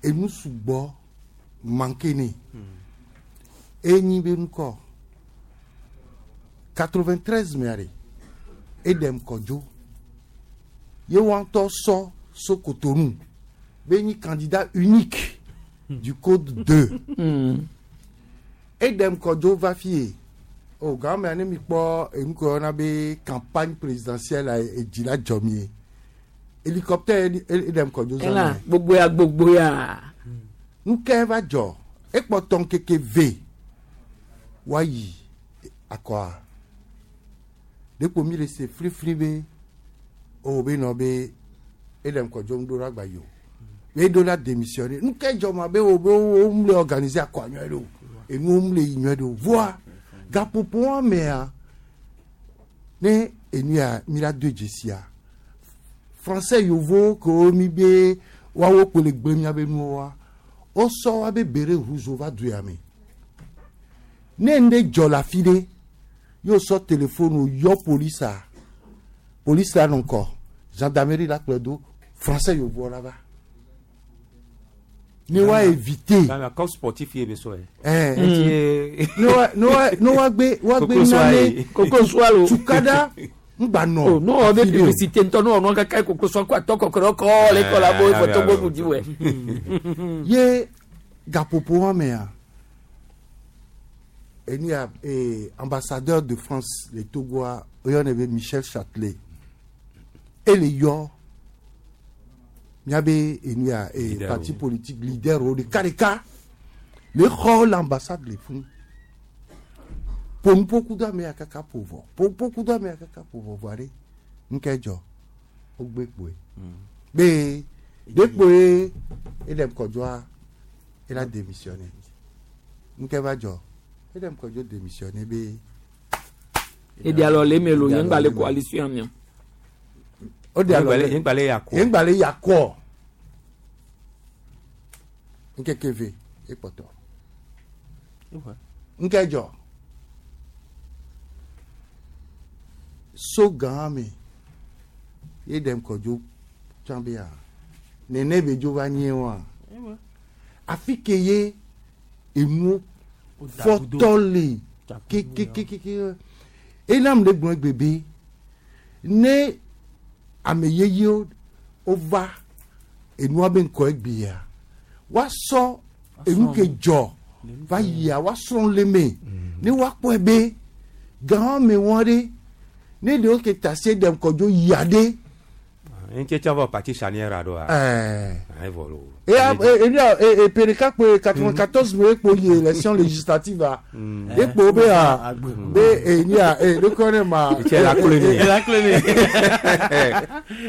enu sugbɔ manque ne enyi be ŋkɔ quatre-vingt-treize mea ɖe edem kɔdzo ye wa ŋutɔ sɔ so Cotonou be nyi candidat unique du code deux edem kɔdzo va fie o gãmea ne mi kpɔ enu ke woyɔna be campagne présidentielle a edzi la dzɔ mi ye hélicoptère edem kɔdzo zã Ela mea. gbogbo ya gbogbo ya. nu ke va dzɔ ekpɔtɔ ŋkeke ve woayi akɔa ɖekpo mi le se flifli be o be nɔ be edem kɔdzo ŋu ɖo la gba yi o be eɖo la démissionner nu ke dzɔ ma be o be wo mu le organiser akɔa nyuie ɖe o enuwo mu le yi nyuie ɖe o voa gaƒoƒo wa mea ne enu ya mi la do dzesia français yovo kewo mi be woawo kpo le gbe miabe nuwo wa wosɔ wa be béret rouge va du ya me ne ŋɖe dzɔ le afi ɖe yóò sɔ téléphone yɔ polisa polisi la nɔ ŋkɔ gendarmerie la kplɔe do français yovoa la va ne wa éviter Comme sportif ye be sɔ ye. Eh. Eti- ne wa ne wa ne wa gbe wa gbe Koko soa nane ye. Koko soa lo. tukada ŋgba nɔ Oh, no ɔbɛ afi ɖe o. publicité ŋutɔ no ɔnɔ kaka koko sɔ ko atɔ kɔkɔrɔ kɔ le kɔ la bo Eh, efɔ togo ah, bu di wɛ. ye gaƒoƒo wa mea eni ya eh, ambassadeur de France le Togoa oyɔnɛ be Michel Châtelet ele yɔ miabe enu ya eh, Leader parti wo. politique leader wo ɖeka ɖeka le xɔ l'ambassade le fún ƒonuƒo do ame ya kaka ƒo vɔ ƒonuƒo do ame ya kaka ƒo vɔ vɔa ɖe ŋkɛ dzɔ wogbe kpoe be ɖe kpoe edem kɔdzɔa ela démissionné ŋkɛ va dzɔ edem kɔdzɔ démissionné be Eɖe alɔ le eme lo ye ŋgba le coalition mea. o de alɔ Ye ŋgba le yakɔ. ye ŋgba le yakɔ ŋkeke ve ekpɔtɔ ŋkɛ dzɔ so gã me ye ɖem kɔdzo tsã be ya nene be dzo va nye wa afi ke ye enuwo fɔtɔ le kekekeke enam le gblɔ egbe be ne ame yeyewo wova enua be ŋkɔ egbea woasɔ enu ke dzɔ va yia woasrɔ̃ le me ne woakpɔe be gã me wɔn ɖe ne ɖewo ke ta se ɖem kɔdzo yia ɖe Ŋutse tsã vɔ parti charnière a ɖoa. ɛɛ Ayi vɔ lo. eya e e e pe ɖeka kpoe quatre-vingt-quatorze me ekpo yi élection législative a ekpo be a be eni a e ɖekɔ ne ma Etse la clé ne. La clé ne.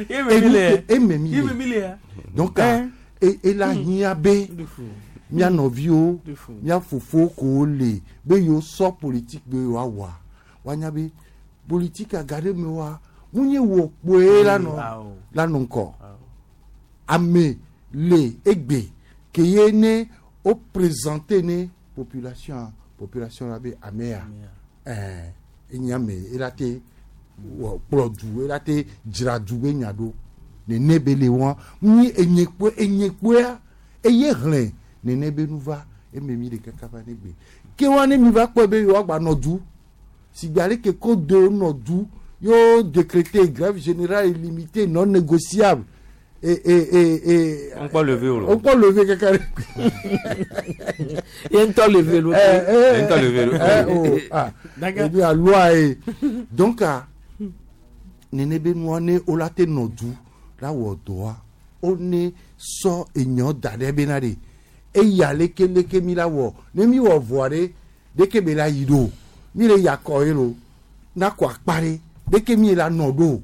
Enu ke- eme mi Eme mi le le. donc e ela hiã be mía nɔviwo mía fofowo ko le be yewo sɔ politique be yewoawɔa woanya be politique aga ɖe me wa mu nye wɔ kpoe la nɔ la nɔ ŋkɔ ame le egbe ke ye ne o présenter ne population a population la be amea ɛɛ enye ame ela te wɔ kplɔ du ela te dzra du be nya ɖo nene be le wɔn nyi enye kpoe enye kpoea eye hlẽ nene be nu va eme mi le kaka va ne gbe ke wa ne mi va kpɔe be yewoagba nɔ du sigbe ale ke ko do nɔ du yo décrété grève générale illimitée non négociable et et et et On peut lever o. on peut lever quelqu'un ye ŋutɔ lever lo. Eh, eh, Ye ŋutɔ lever lo. eh, oh, ah. D'accord. Et puis, la loi est donc ah, nene be nua ne wola te nɔ du la wɔ dɔa wo ne sɔ enyɔ da ɖe bena ɖe eya leke leke mi la wɔ ne mi wɔ vɔa ɖe ɖeke be la yi ɖo mi le yakɔ ye lo nakɔ akpa ɖe ɖeke mi la nɔ ɖo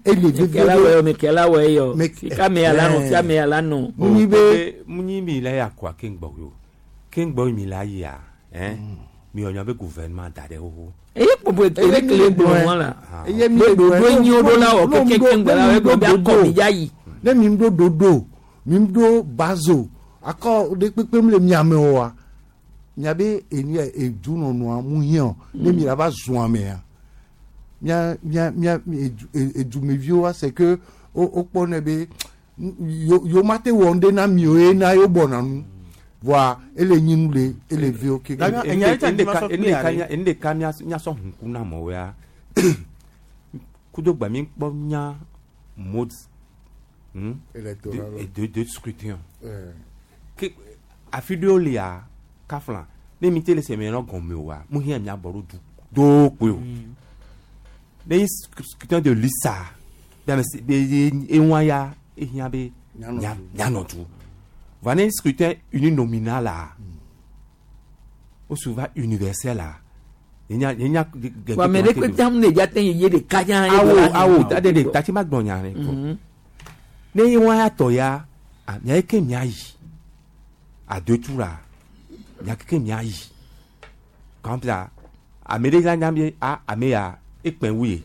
ele vevie Mekela ɖo wɔ yɔ mekela wɔ yɔ Me- fika me ya la nɔ Eh. fia me ya la nɔ. Munyi be munyi mi la ya kɔa ke ŋgbɔ yo ke ŋgbɔ mi la yia hein mi wɔ nya be gouvernement da ɖe xoxo. eye kpopo ele kele gblɔ wɔn la. eye mi Be le ɖoɖo gblɔe, nyi wo ɖo la wɔ ne mi keke ɖo- ŋgbɛ la ne wɔ mi egblɔ be ɖo akɔ ɖoɖo. mi dza yi. ne mi ɖo ɖoɖo mi ɖo bazo akɔ ɖe kpekpe mi le miame oa miabe enu ya edunɔnɔa mu hiã ne mi la va zɔn amea mia mia mia edu edumeviwoa c'est que wo wo kpɔ ne be yo yo ma te wɔ ŋɖe na mi o ye na yo bɔna nu voa ele nyi nu le ele vi wo keke. Daga- enya ɖe tsa ma sɔ kpe ya ɖe. enu ɖeka míasɔ huku na amewo ya kudo gba mi kpɔ nya mode hmm, Électoral. de de de scrutin Eh. ke afi ɖewo lia kafla ne mi te le sɛmɛ nɔ gɔme oa mu hiã mia bɔ ɖo du do kpoe o ne yi scrutin de lisa be ame si be ye eŋua ya ehiã be Mianɔ mia du. mianɔ du va ne scrutin uninominal la o souvent universel la yenya yenya Wa ame ɖe kpe tam ne dza te yi ye ɖeka dza. ye awo gblɔ la awo nɔ. tade de tati ma gbɔn nya ne kɔ Mhm. ne ye wa ya tɔ ya a mia ye ke mia yi adotu la mia ke mia yi kɔnpita ame ɖe la nya be a ame ya ekpɛ wu ye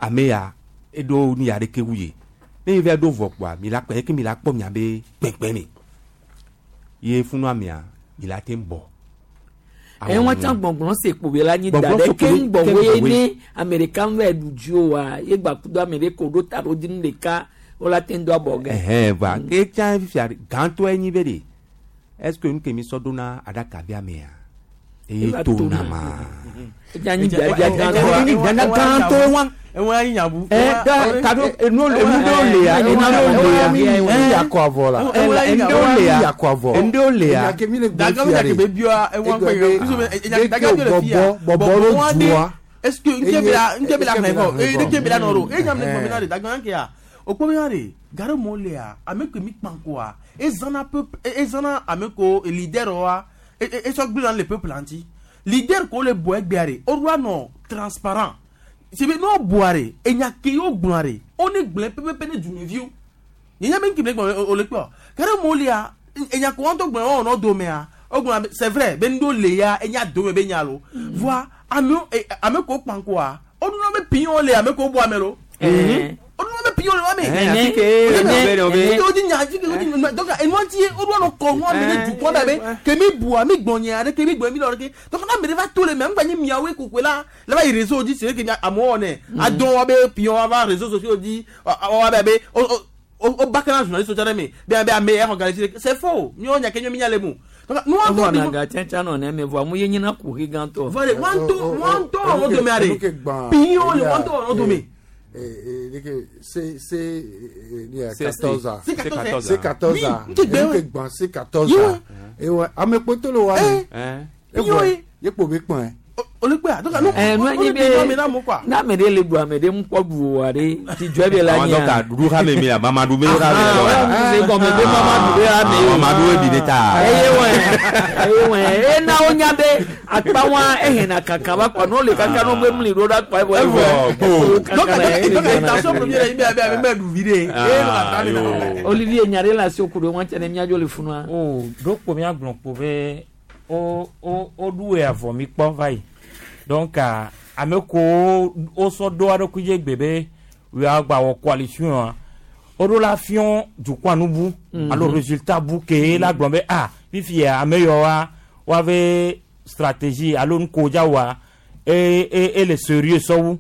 ame ya eɖo nu ya ɖeke wu ye ne yi va ɖo vɔ kpoa mi la kpɛ eke mi la kpɔ mia be kpɛkpɛ me ye funu amea mi la te bɔ. ɛ wọn tsã gbɔngbɔn se kpo be la nyi da Gbɔngbɔn ɖe se ke kpo be- ŋgbɔ ke wo ye ŋgbɔ woe. ne ame ɖeka ŋu ɖu dzi o wa ye gba kudo ame ɖe ko ɖo ta ɖo dzi nu ɖeka wo la te ŋu do abɔ gɛ. Ɛhɛn va ke tsã fifia gãtɔe nyi be de est ce que nu ke mi sɔ ɖona aɖaka bia mea eye Eva to tona. na ma. Edza nyi biabia gãtɔa. Enyi biabia gãtɔe wa. Ewa anyi nyabu. Ɛ da kado enu enu ɖewo lia enu ɖewo lia mi mi yakɔ avɔ la Ɛ, la, enu ɖewo lia yakɔ avɔ enu ɖewo lia. Enya ke mi le gblɔ Daga mi fia ɖe ɖe. be bia ewa Egblɔ kpe be, ye. ɖeke Daga mi le fia. bɔbɔ bɔbɔ ɖo dua. Est-ce que ŋutɛ bi la ŋutɛ bi la xlẽ vɔ eye ŋutɛ bi la nɔ ɖo eye nyam ne Ɛhɛn. gbɔ mi na de daga yan kea o kpɔ mi na de gare mɔ lea ame ke mi kpan koa ezana peuple ezana ame ko leader wa esɔ gblẽ na le peuple ŋuti leader ko le bɔ egbea de o ɖo anɔ transparent sebe n'o bɔa de enya ke y'o gblɔa de o ne gblẽ pɛpɛpɛ ne dumeviwo nyenya be nkebe gbɔn o le kpɔ gare mɔ lea enya ko wɔn to gblẽ wɔn nɔ domea o gblɔna be c'est vrai be ŋdo le ya enya dome be nya lo voa amewo eh, ame ko kpan koa o dun be pion le ame ko bɔ ame lo o dun be pion le wa me Ɛhɛn, afi ke ebe o be. o di nya afi ke o di nya donc enua ti ye o dun anɔ kɔ nua mi ne dukɔ da be ke mi bua mi gbɔn nye aɖe ke mi gbɔn mi lɔ ɖe donc n'a mi de va to le mɛ ŋgba nyi miawoe kokoe la la va yi réseau dzi c'est que mia amewo wɔnɛ adɔn wa be pion wa va réseaux sociaux dzi wa be be o o o ba kana journaliste tsɔ ɖe me be be ame exɔ ga le tsi c'est faux miawo nya ke nye mi nya le mu donc nua Evɔ tɔ na ga tsɛtsɛ nɔ ne me vɔa mu ye nyina kuxi gãtɔ. Vale, ŋua ŋutɔ ŋua ŋutɔ wɔn dome aɖe pion le ŋua ŋutɔ wɔn dome. C C C- quatorze a C quatorze. C quatorze a Oui, ŋutɛ gbɛ enu ke gbã C quatorze a ewa ame kpɔtɔ le wa me Ɛn. Pion ye. ye kpo be kpɔn olùkpẹ́ donc nu Ɛ nu anyi be n'a ame ɖe le ɖu ame ɖe ŋu kpɔ ɖu o wa ɖe dzidzɔe be la Àwọn nyia. dɔka ɖuɖu ha me mi la mamadu be ha me Ah, la. se gɔme be mamadu be ha me o. Mamadu ebi ne ta. Eye wɛ eye wɛ ena wo nya be akpa wa ehena kaka va kpa n'o le kaka n'o be mli ɖo ɖe akpa evɔ Evɔ, go. donc donc intention première yi bɛ bɛ bɛ du vi de e nɔ ka taa mi na. Olivier nya ɖe le asi ku ɖe ŋu tse ne míadzo le funua. o ɖo kpo míagblɔ kpo be o o o ɖu ya vɔ mi kpɔ va yi donc ah, ame ko wo sɔ ɖo aɖokui dzi gbe be woagba wɔ coalition a woɖo la fiɔ dukɔa nu bu Mhm. alo résultat bu ke la gblɔ be ah fifia ame yawoa woave stratégie alo nuko dza wɔa e e e le sérieux sɔwu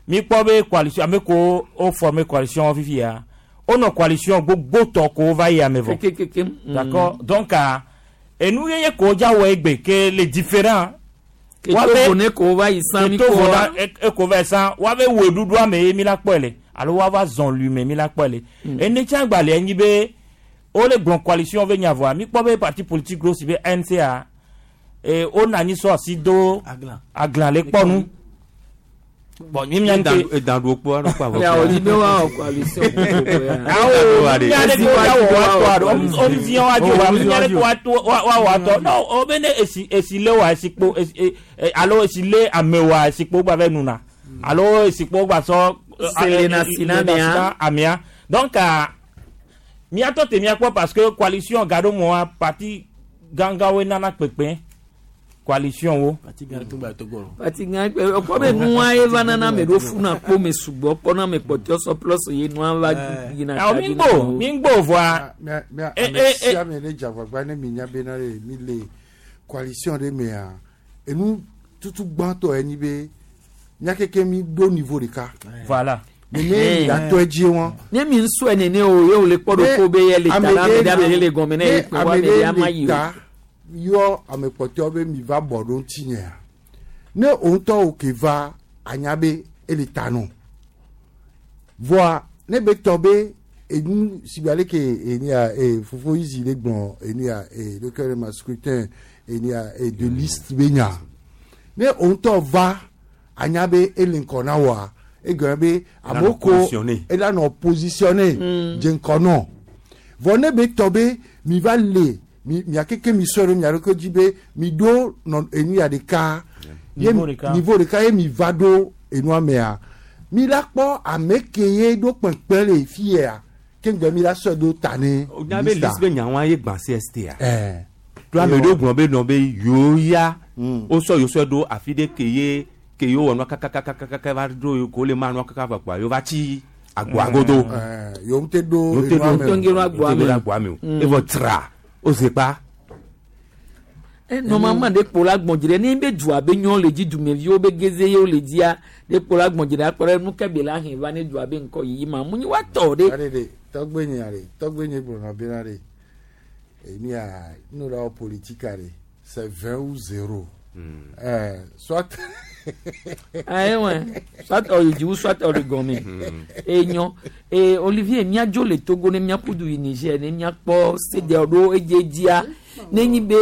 mi kpɔ be coalition ame ko wo former coalition fifia wonɔ coalition gbogbotɔ ko va yi ame vɔ. Kekekeke. Mm. D'accord. Donc, ah, enu ye ye ko dza wɔ egbe ke le différent Ke Togo ne ko va yi san mi Ke Togo ko na e ko va yi san woabe wɔɖuɖua me ye mi la kpɔe le alo woava zɔn lui me mi la kpɔe le. Ene tsã gbalẽ nyi be wole gblɔ coalition be nya vɔa mi kpɔ be parti politique ɖewo si be N C A e wona anyi sɔ asi do aglan le kpɔ nu. Bon, mi mia nke edan do kpɔ anɔ kpɔ avɔ. Ya o di be wa wɔ coalition gbogbo ya. Awo mia de ko ya wɔ wa tɔ alo o mi ziɔ wa dzo wa mia de ko wa to wa wa wa tɔ non o be ne esi esi le wa esi kpo esi e alo esi le ame wa esi kpo gba vɛ nuna alo esi kpo gba sɔ Selena sina mia. Amia donc ah, miatɔ te mia kpɔ parce que coalition gaɖo mɔa parti gãgãwoe nana kpekpe coalition wo. Parti gã kpe ɔkpɔ be nua ye va nana ame ɖo funa kpo me sugbɔ kpɔ na ame kpɔtɔ sɔ plus ye nua va yina. Awo mi gbɔ mi gbɔ vɔa. Mia mia Eh, ame eh, sia ame ne dze agbagba ne mi nya bena ɖe mi le coalition ɖe mea enu tutu gbãtɔ ye nyi be mia keke mi ɖo niveau ɖeka. Voilà. Nene mi la tɔ edzi wɔn. Ne mi nsɔe nene o ye o le kpɔ ɖo ko be ye le ta la ame ɖe ame ɖe le gɔme ne ye kpe wa ame ɖe ama yi o. Ta yɔ ame kpɔtɔewo be mi va bɔ ɖo ŋutinyea ne wo ŋutɔ wo ke va anya be ele ta nɔ vɔa ne be tɔ be enu si be aleke enia e fofo yizi le gblɔ enia e leke le ma scrutin enia e de liste be nya ne wo ŋutɔ va anya be ele ŋkɔ na woa egɔme be amewo ko positionné. Ela nɔ positionné dze ŋkɔ nɔ vɔ ne be tɔ be mi va le mi mia keke mi sɔe ɖo mia ɖokui dzi be mi ɖo nɔ enu ya ɖeka ye Niveau ɖeka. Niveau ɖeka ye mi va ɖo enua mea mi la kpɔ ame ke ye ɖo kpekpe le fi ya ke ŋgbɛ mi la sɔe ɖo ta ne nya be liste be nyawa ye gbã C S T a. Ɛɛ. To ame ɖewo gblɔ be nɔ be yewo ya wosɔ yewo sɔ ɖo afi ɖe ke ye ke yewo wɔ nua kakakakaka va ɖo yewo ko le ma nua kaka vɔ kpoa yewo va tsi agboa godo. Ɛɛ yewo ŋute ɖo Yewo te enua ɖo me o. Yewo te ɖo agboa me. Yewo te ɖo agboa me o. Mm. Evɔ tra o ze kpa. E normalement ɖe kpo la gbɔn dzi ɖe ne be dua be nyɔ le dzi dumeviwo be geze yewo le dzia ɖe kpo la gbɔn dzi ɖe akpɔ ɖe nu ke be la hɛn va ne dua be ŋkɔ yiyi ma mu nyi wa tɔ ɖe. Aɖe ɖe tɔgbe nye ɖe tɔgbe nye gblɔna bena ɖe enu ya nu la wɔ politika ɖe c'est vingt ou zéro. Ɛɛ soit. Ayiwa soit ɔyi dzi wu soit ɔli gɔme enyɔ ee Olivier miadzo le Togo ne miaku du yi Niger ne miakpɔ sedeawo ɖo edze dzia ne nyi be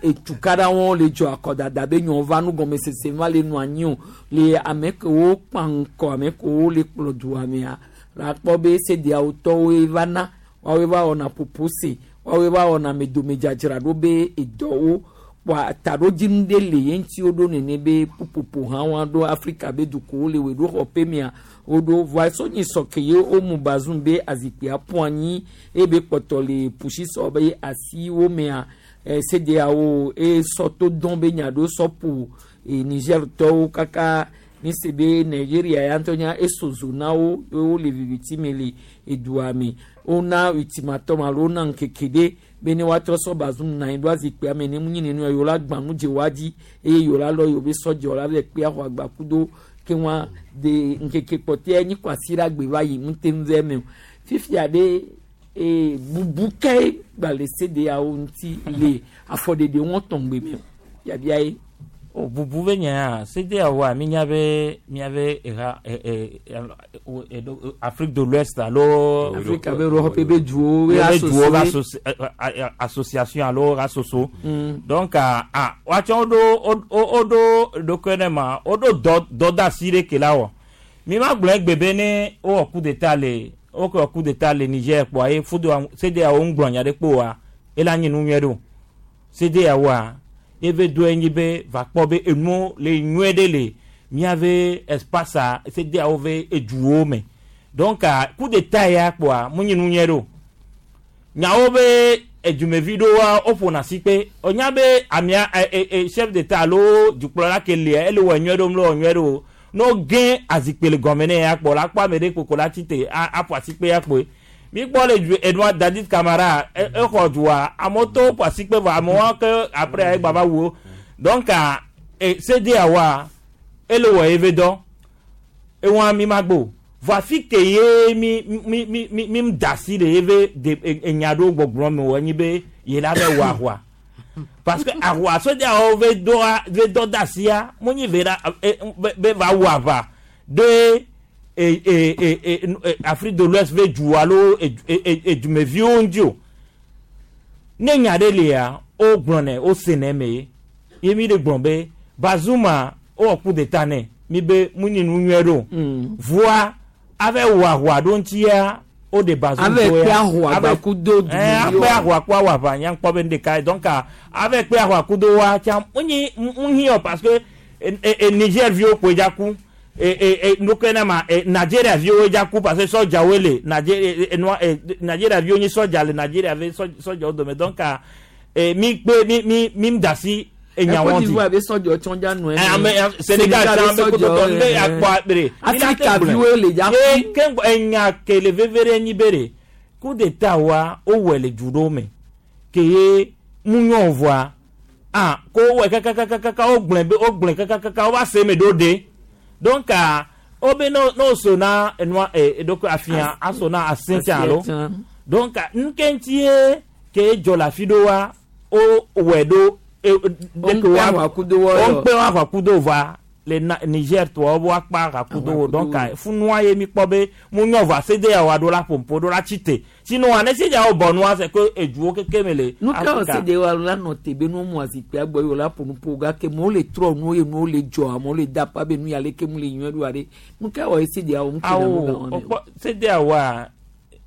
etukaɖa wɔn le dzɔ akɔdada be nyɔ va nu gɔmesese va le nɔ anyi o le ame kewo kpa ŋkɔ ame kewo le kplɔ dua mea la kpɔ be sedeawo tɔwoe va na woawoe va wɔna popose woawoe va wɔna amedomedzadzra ɖo be edɔwo kpɔa taɖodzinu ɖe le ye ŋuti woɖo nene be ƒuƒoƒo hã wa ɖo Afrika be dukɔwo le wòɖo xɔƒe mea woɖo voa sɔnyi sɔ ke ye womu Bazoum be azikpuia ƒu anyi eye be kpɔtɔ le pusisɔ be asiwo mea eh, C D A O eye sɔ to dɔn be nya ɖo sɔ ƒo eh, Niger tɔwo kaka mi se be Nigeria ya ŋutɔ nya eso zo na wo ye wole viviti me le edua me wona ultimatum alo wona ŋkeke ɖe be ne woatrɔ sɔ Bazoum na anyi ɖo azikpuia me ne mu nyi nenu yewo la gbã nu dze woa dzi eye yewo la lɔ yewo be sɔdzewo la va kpe axɔ agba kudo ke wa de ŋkeke kpɔtɔe nyi kwasi ɖe agbe va yi ŋute ŋu vɛ me o fifia ɖe ee bubu ke gba le C D A O ŋuti le afɔɖeɖe wɔn tɔngbe me o yabia ye. O bubu be nya C D A O mi nya be miabe eha e e e Afrique de l'Ouest alo Afrika be Europe be duwo be be duwo be associé. associ- eh, eh, association alo asoso. Mm. Donc ah ah watsɔ woɖo wo woɖo ɖokui ne ma woɖo dɔ dɔdeasi ɖe ke la wɔ mi ma gblɔ egbe be ne wowɔ coup d'état le wokɔ wɔ coup d'état le Niger kpoa ye fudo C D A O ŋgblɔ nya ɖe kpo wa ela nyi nu nyuie ɖo C D A O a ebe do enyi be va kpɔ be enuwo le nyuie ɖe le miave espace a C D A O ve eduwo me donc ah, coup d'état ya kpoa mu nyi nu nyuie ɖo nyawo be edumevi ɖewoa woƒona si kpe onya be amea ɛ ɛ ɛ chef d'état alo dukplɔla ke lia ele wɔ nyuie ɖo mle wɔ nyuie ɖo o n'o gẽ azikpui le gɔme ne ya kpɔ la kpɔ ame ɖe kpokpo la tite a aƒo asikpe ya kpoe mi kpɔ le du enua Dadis Camara e exɔ dua amewo to ƒo asikpe vɔ amewo ke après egba va wu wo donc ah, e C D A wa ele wɔ eve dɔ ewa mi ma gbo vɔ afi ke ye mi mi mi mi mi da asi le eve de enya ɖewo gbɔgblɔ me wɔ enyi be ye la bɛ wɔ ahua Parce que ahua CEDEAO ve do ve do dasia munyi vera be va wa va de e e e e Afrique de l'Ouest ve ju alo e e dumeviwo ŋuti ne nya ɖe lia o gblɔnɛ o senɛ me ye mi de gblɔ be Bazuma o wɔ coup d'état nɛ mi be mu nyi nu nyuie ɖo voa ave wɔ ahua ɖo ŋutia o de Bazum ave kpe ahua gbakudo dumeviwo ave kpe ahua ku awɔ aʋa nya kpɔ be ɖeka donc ave kpe ahua kudo wa tsa mu nyi mu hiɔ parce que e Niger viwo kpoe dza ku. E e nuke na ma Nigeria viwo dza ku parce que sɔdzawoe le Nigeria Nigeria viwo nyi sɔdza le Nigeria ve sɔdzawo dome donc mi kpe mi mi mi da si enyawo Côte di. d'Ivoire be sɔdzawo tsɔn dza nɔ ame Sénégal tsã be kototɔ be akpɔ akpere. Afrika viwo le dza ku. Ye ke enya ke le veve ɖe nyi be ɖe coup d'état wa wowɔe le du ɖewo me ke ye mu nyɔ vɔa ah ko wowɔe kakakakaka wogblẽ be wogblẽ kakakaka wova se eme ɖo ɖe. Donc o be no no so na enua e donc afia aso na asentia alo donc nkentie ke dzɔ le afi ɖo wa o wɔ ɖo e de wa o kpe wa akudo va le Niger tɔ wo akpa akudo wo donc funua ye mi kpɔ be mu nyɔ va CEDEAO wa ɖo la ƒompo ɖo la tsi sinon ane CEDEAO bɔ nua c'est que eduwo keke me le. Nu ka wɔ CEDEAO la nɔ te be nu mu azikpui agbɔ yi o la ƒo nuƒo gake mo le trɔ nuwo ye nuwo le dzɔ amewo le da pa be nu ya leke mu le nyuie ɖo aɖe nu ka wɔ CEDEAO ŋu ke na nu gan wɔn. Awo CEDEAO wa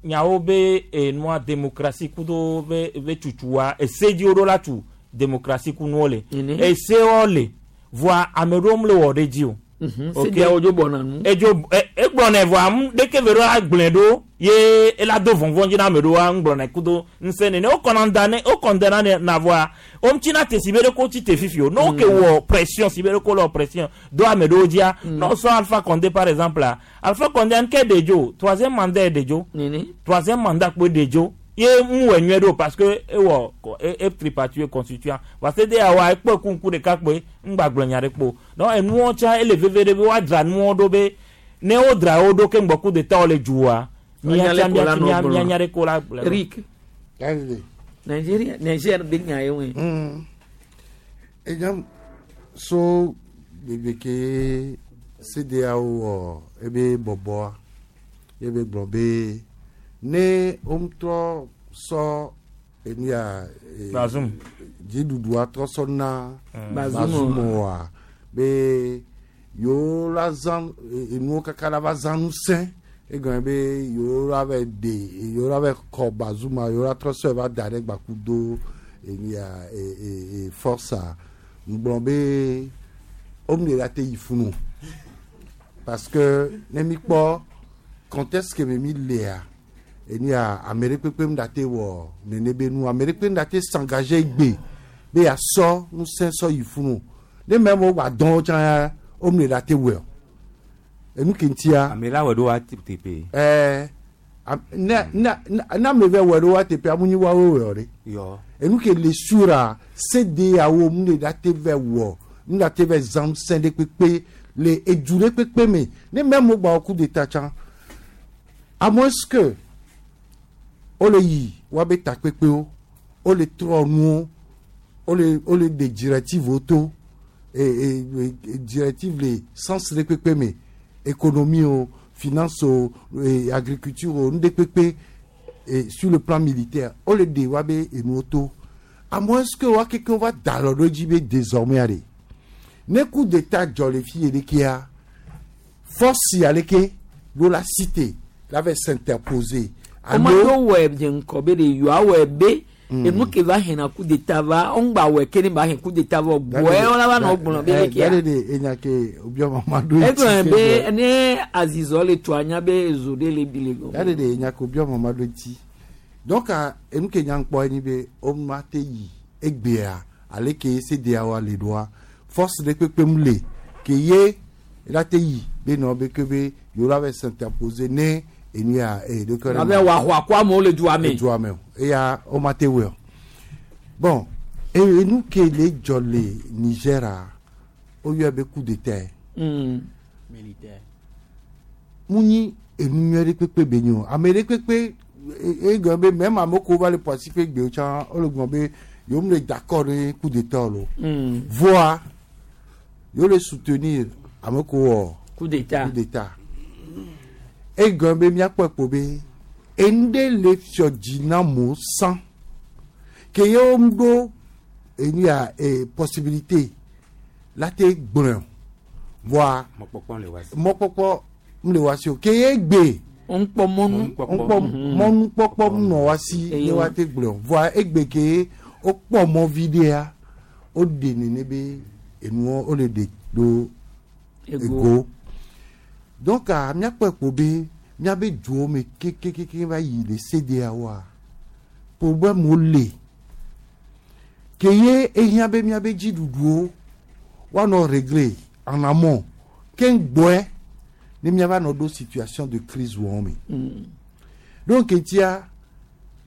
nyawo be enua démocratie kudo be be tutua ese dziwo ɖo la tu démocratie kunuwo le esewo le voa ame ɖewo le wɔ ɖe dzi o. CEDEAO dzo bɔna nu. Edzo egblɔnɛ voa ɖeke ve ɖo agblɔe ɖo ye ela do vɔvɔ̃ dzi na ame ɖewoa ŋgblɔnɛ kudo ŋusẽ nene wo kɔna da ne wo kɔndana ne na voa wo ŋuti te si be ɖe ko tsi te fifi o ne wo ke wɔ pression si be ɖe ko le wɔ pression do ame ɖewo dzia ne wo sɔ Alpha Condé par exemple la Alpha Condé ŋkɛ de dzo troisième mandat ye de dzo troisième mandat kpoe de dzo ye ŋu wɔ nyuie ɖo parce que ewɔ e tripartite constituant parce que CEDEAO ekpɔ kuku ɖeka kpoe ŋgbagblɔ nya ɖe kpo donc enuwo tsã ele veve ɖe be woadzra nuwo ɖo be ne wodzra wo ɖo ke ŋgbɔ coup d'état le dzua mia mia mia nya ɖe ko la gblɔ. Eric Nigeria Niger be nya ye ŋue. Enyam so bebe ke CEDEAO wɔ ebe bɔbɔa ebe gblɔ be ne womtrɔ sɔ enia Bazum dziɖuɖua trɔ sɔ na Bazum oa be yewo la zã enuwo kaka la va zã ŋusẽ egɔme be yewo la va de yewo la va kɔ Bazuma yewo la trɔ sɔe va da ɖe gbakudo enia e e e force ŋgblɔ be wome la te yi funu parce que ne mi kpɔ contexte ke me mi lea enia ame ɖe kpekpe ŋu ɖate wɔ nene be nu ame ɖe kpekpe ŋu ɖate s'engager gbe be yasɔ ŋusẽ sɔ yi funu ne mɛ mo gba dɔn tsã ya wo me ɖate wɔe o enu ke ŋutia. Ame la wɔ ɖo wa teƒe. Ɛɛ ne ne ne ame vɛ wɔ ɖo wa teƒe amu nyi woawo wɔ ɖe. Yɔ. Enu ke le sura CEDEAO mu le ɖate vɛ wɔ mu ɖate vɛ zã ŋusẽ ɖe kpekpe le edu ɖe kpekpe me ne mɛ mo gba wɔ coup d'état tsã à moins que wole yi woabe takpekpewo wole trɔ nuwo wole wole de directive to e e directive le sens ɖe kpekpe me économie o finance o e agriculture o nu ɖe kpekpe e sur le plan militaire wole de woabe enuwo to à moins que woa keke wova da alɔ ɖo edzi be désormais aɖe ne coup d'état dzɔ le fi yi ɖekea force ya leke ɖo la cité la va s'interposer. Alo wɔ dze ŋkɔ be de yɔa wɔ be enu ke va hɛn coup d'état va ŋgba wɔ ke ne ba hɛn coup d'état va gbɔɛ wɔla va nɔ gblɔ be leke ya. Gade de enya ke obiɔ mama do eti. Egblɔ be ne azizɔ le to anya be ezo ɖe le bi le gɔme. Gade de enya ke obiɔ mama do eti donc enu ke nya ŋkpɔ enyi be wo ma te yi egbea ale ke CEDEAO le ɖoa force ɖe kpekpe mu le ke ye la te yi be nɔ be ke be yewo la va s'interposer ne enia e de kɔrɔ. Abe wa xɔ akɔ amewo le dua me. Dua me o eya wo ma te wɔe o bon enu ke le dzɔ le Niger o yɔ be coup d'état. Mm. Militaire. Mu nyi enu nyuie ɖe kpekpe be nyi o ame ɖe kpekpe e gblɔ be même ame ko va le Poissy ƒe gbewo tsã wole gblɔ be Yewo le d'accord ɖe coup d'état lo. Mm. Voa yewo le soutenir ame ko wɔ coup d'état. Coup d'état. Egɔme be míakpɔe kpo be enu ɖe le fiɔ dzi na mo sã ke yewo ɖo enu ya eh, possibilité la te gblɔe o. Voa mɔkpɔkpɔ le wa si. Mɔkpɔkpɔ m le wa si o ke ye gbe ŋkpɔ mɔnu ŋkpɔ mɔnukpɔkpɔ nɔ wa si Eye ne wa te gblɔe o. Voa egbe ke wokpɔ mɔ vi ɖea woɖe nene be enuwo wole ɖe ɖo Ego. ego donc ah, míakpɔe kpo be míabe duwo me kekekeke va yi le C D A woa problème wo le ke ye ehiã be míabe dziɖuɖuwo woanɔ régler en amont ke gbɔe ne míava nɔ ɖo situation de crise wɔm me. Mm. Donc etia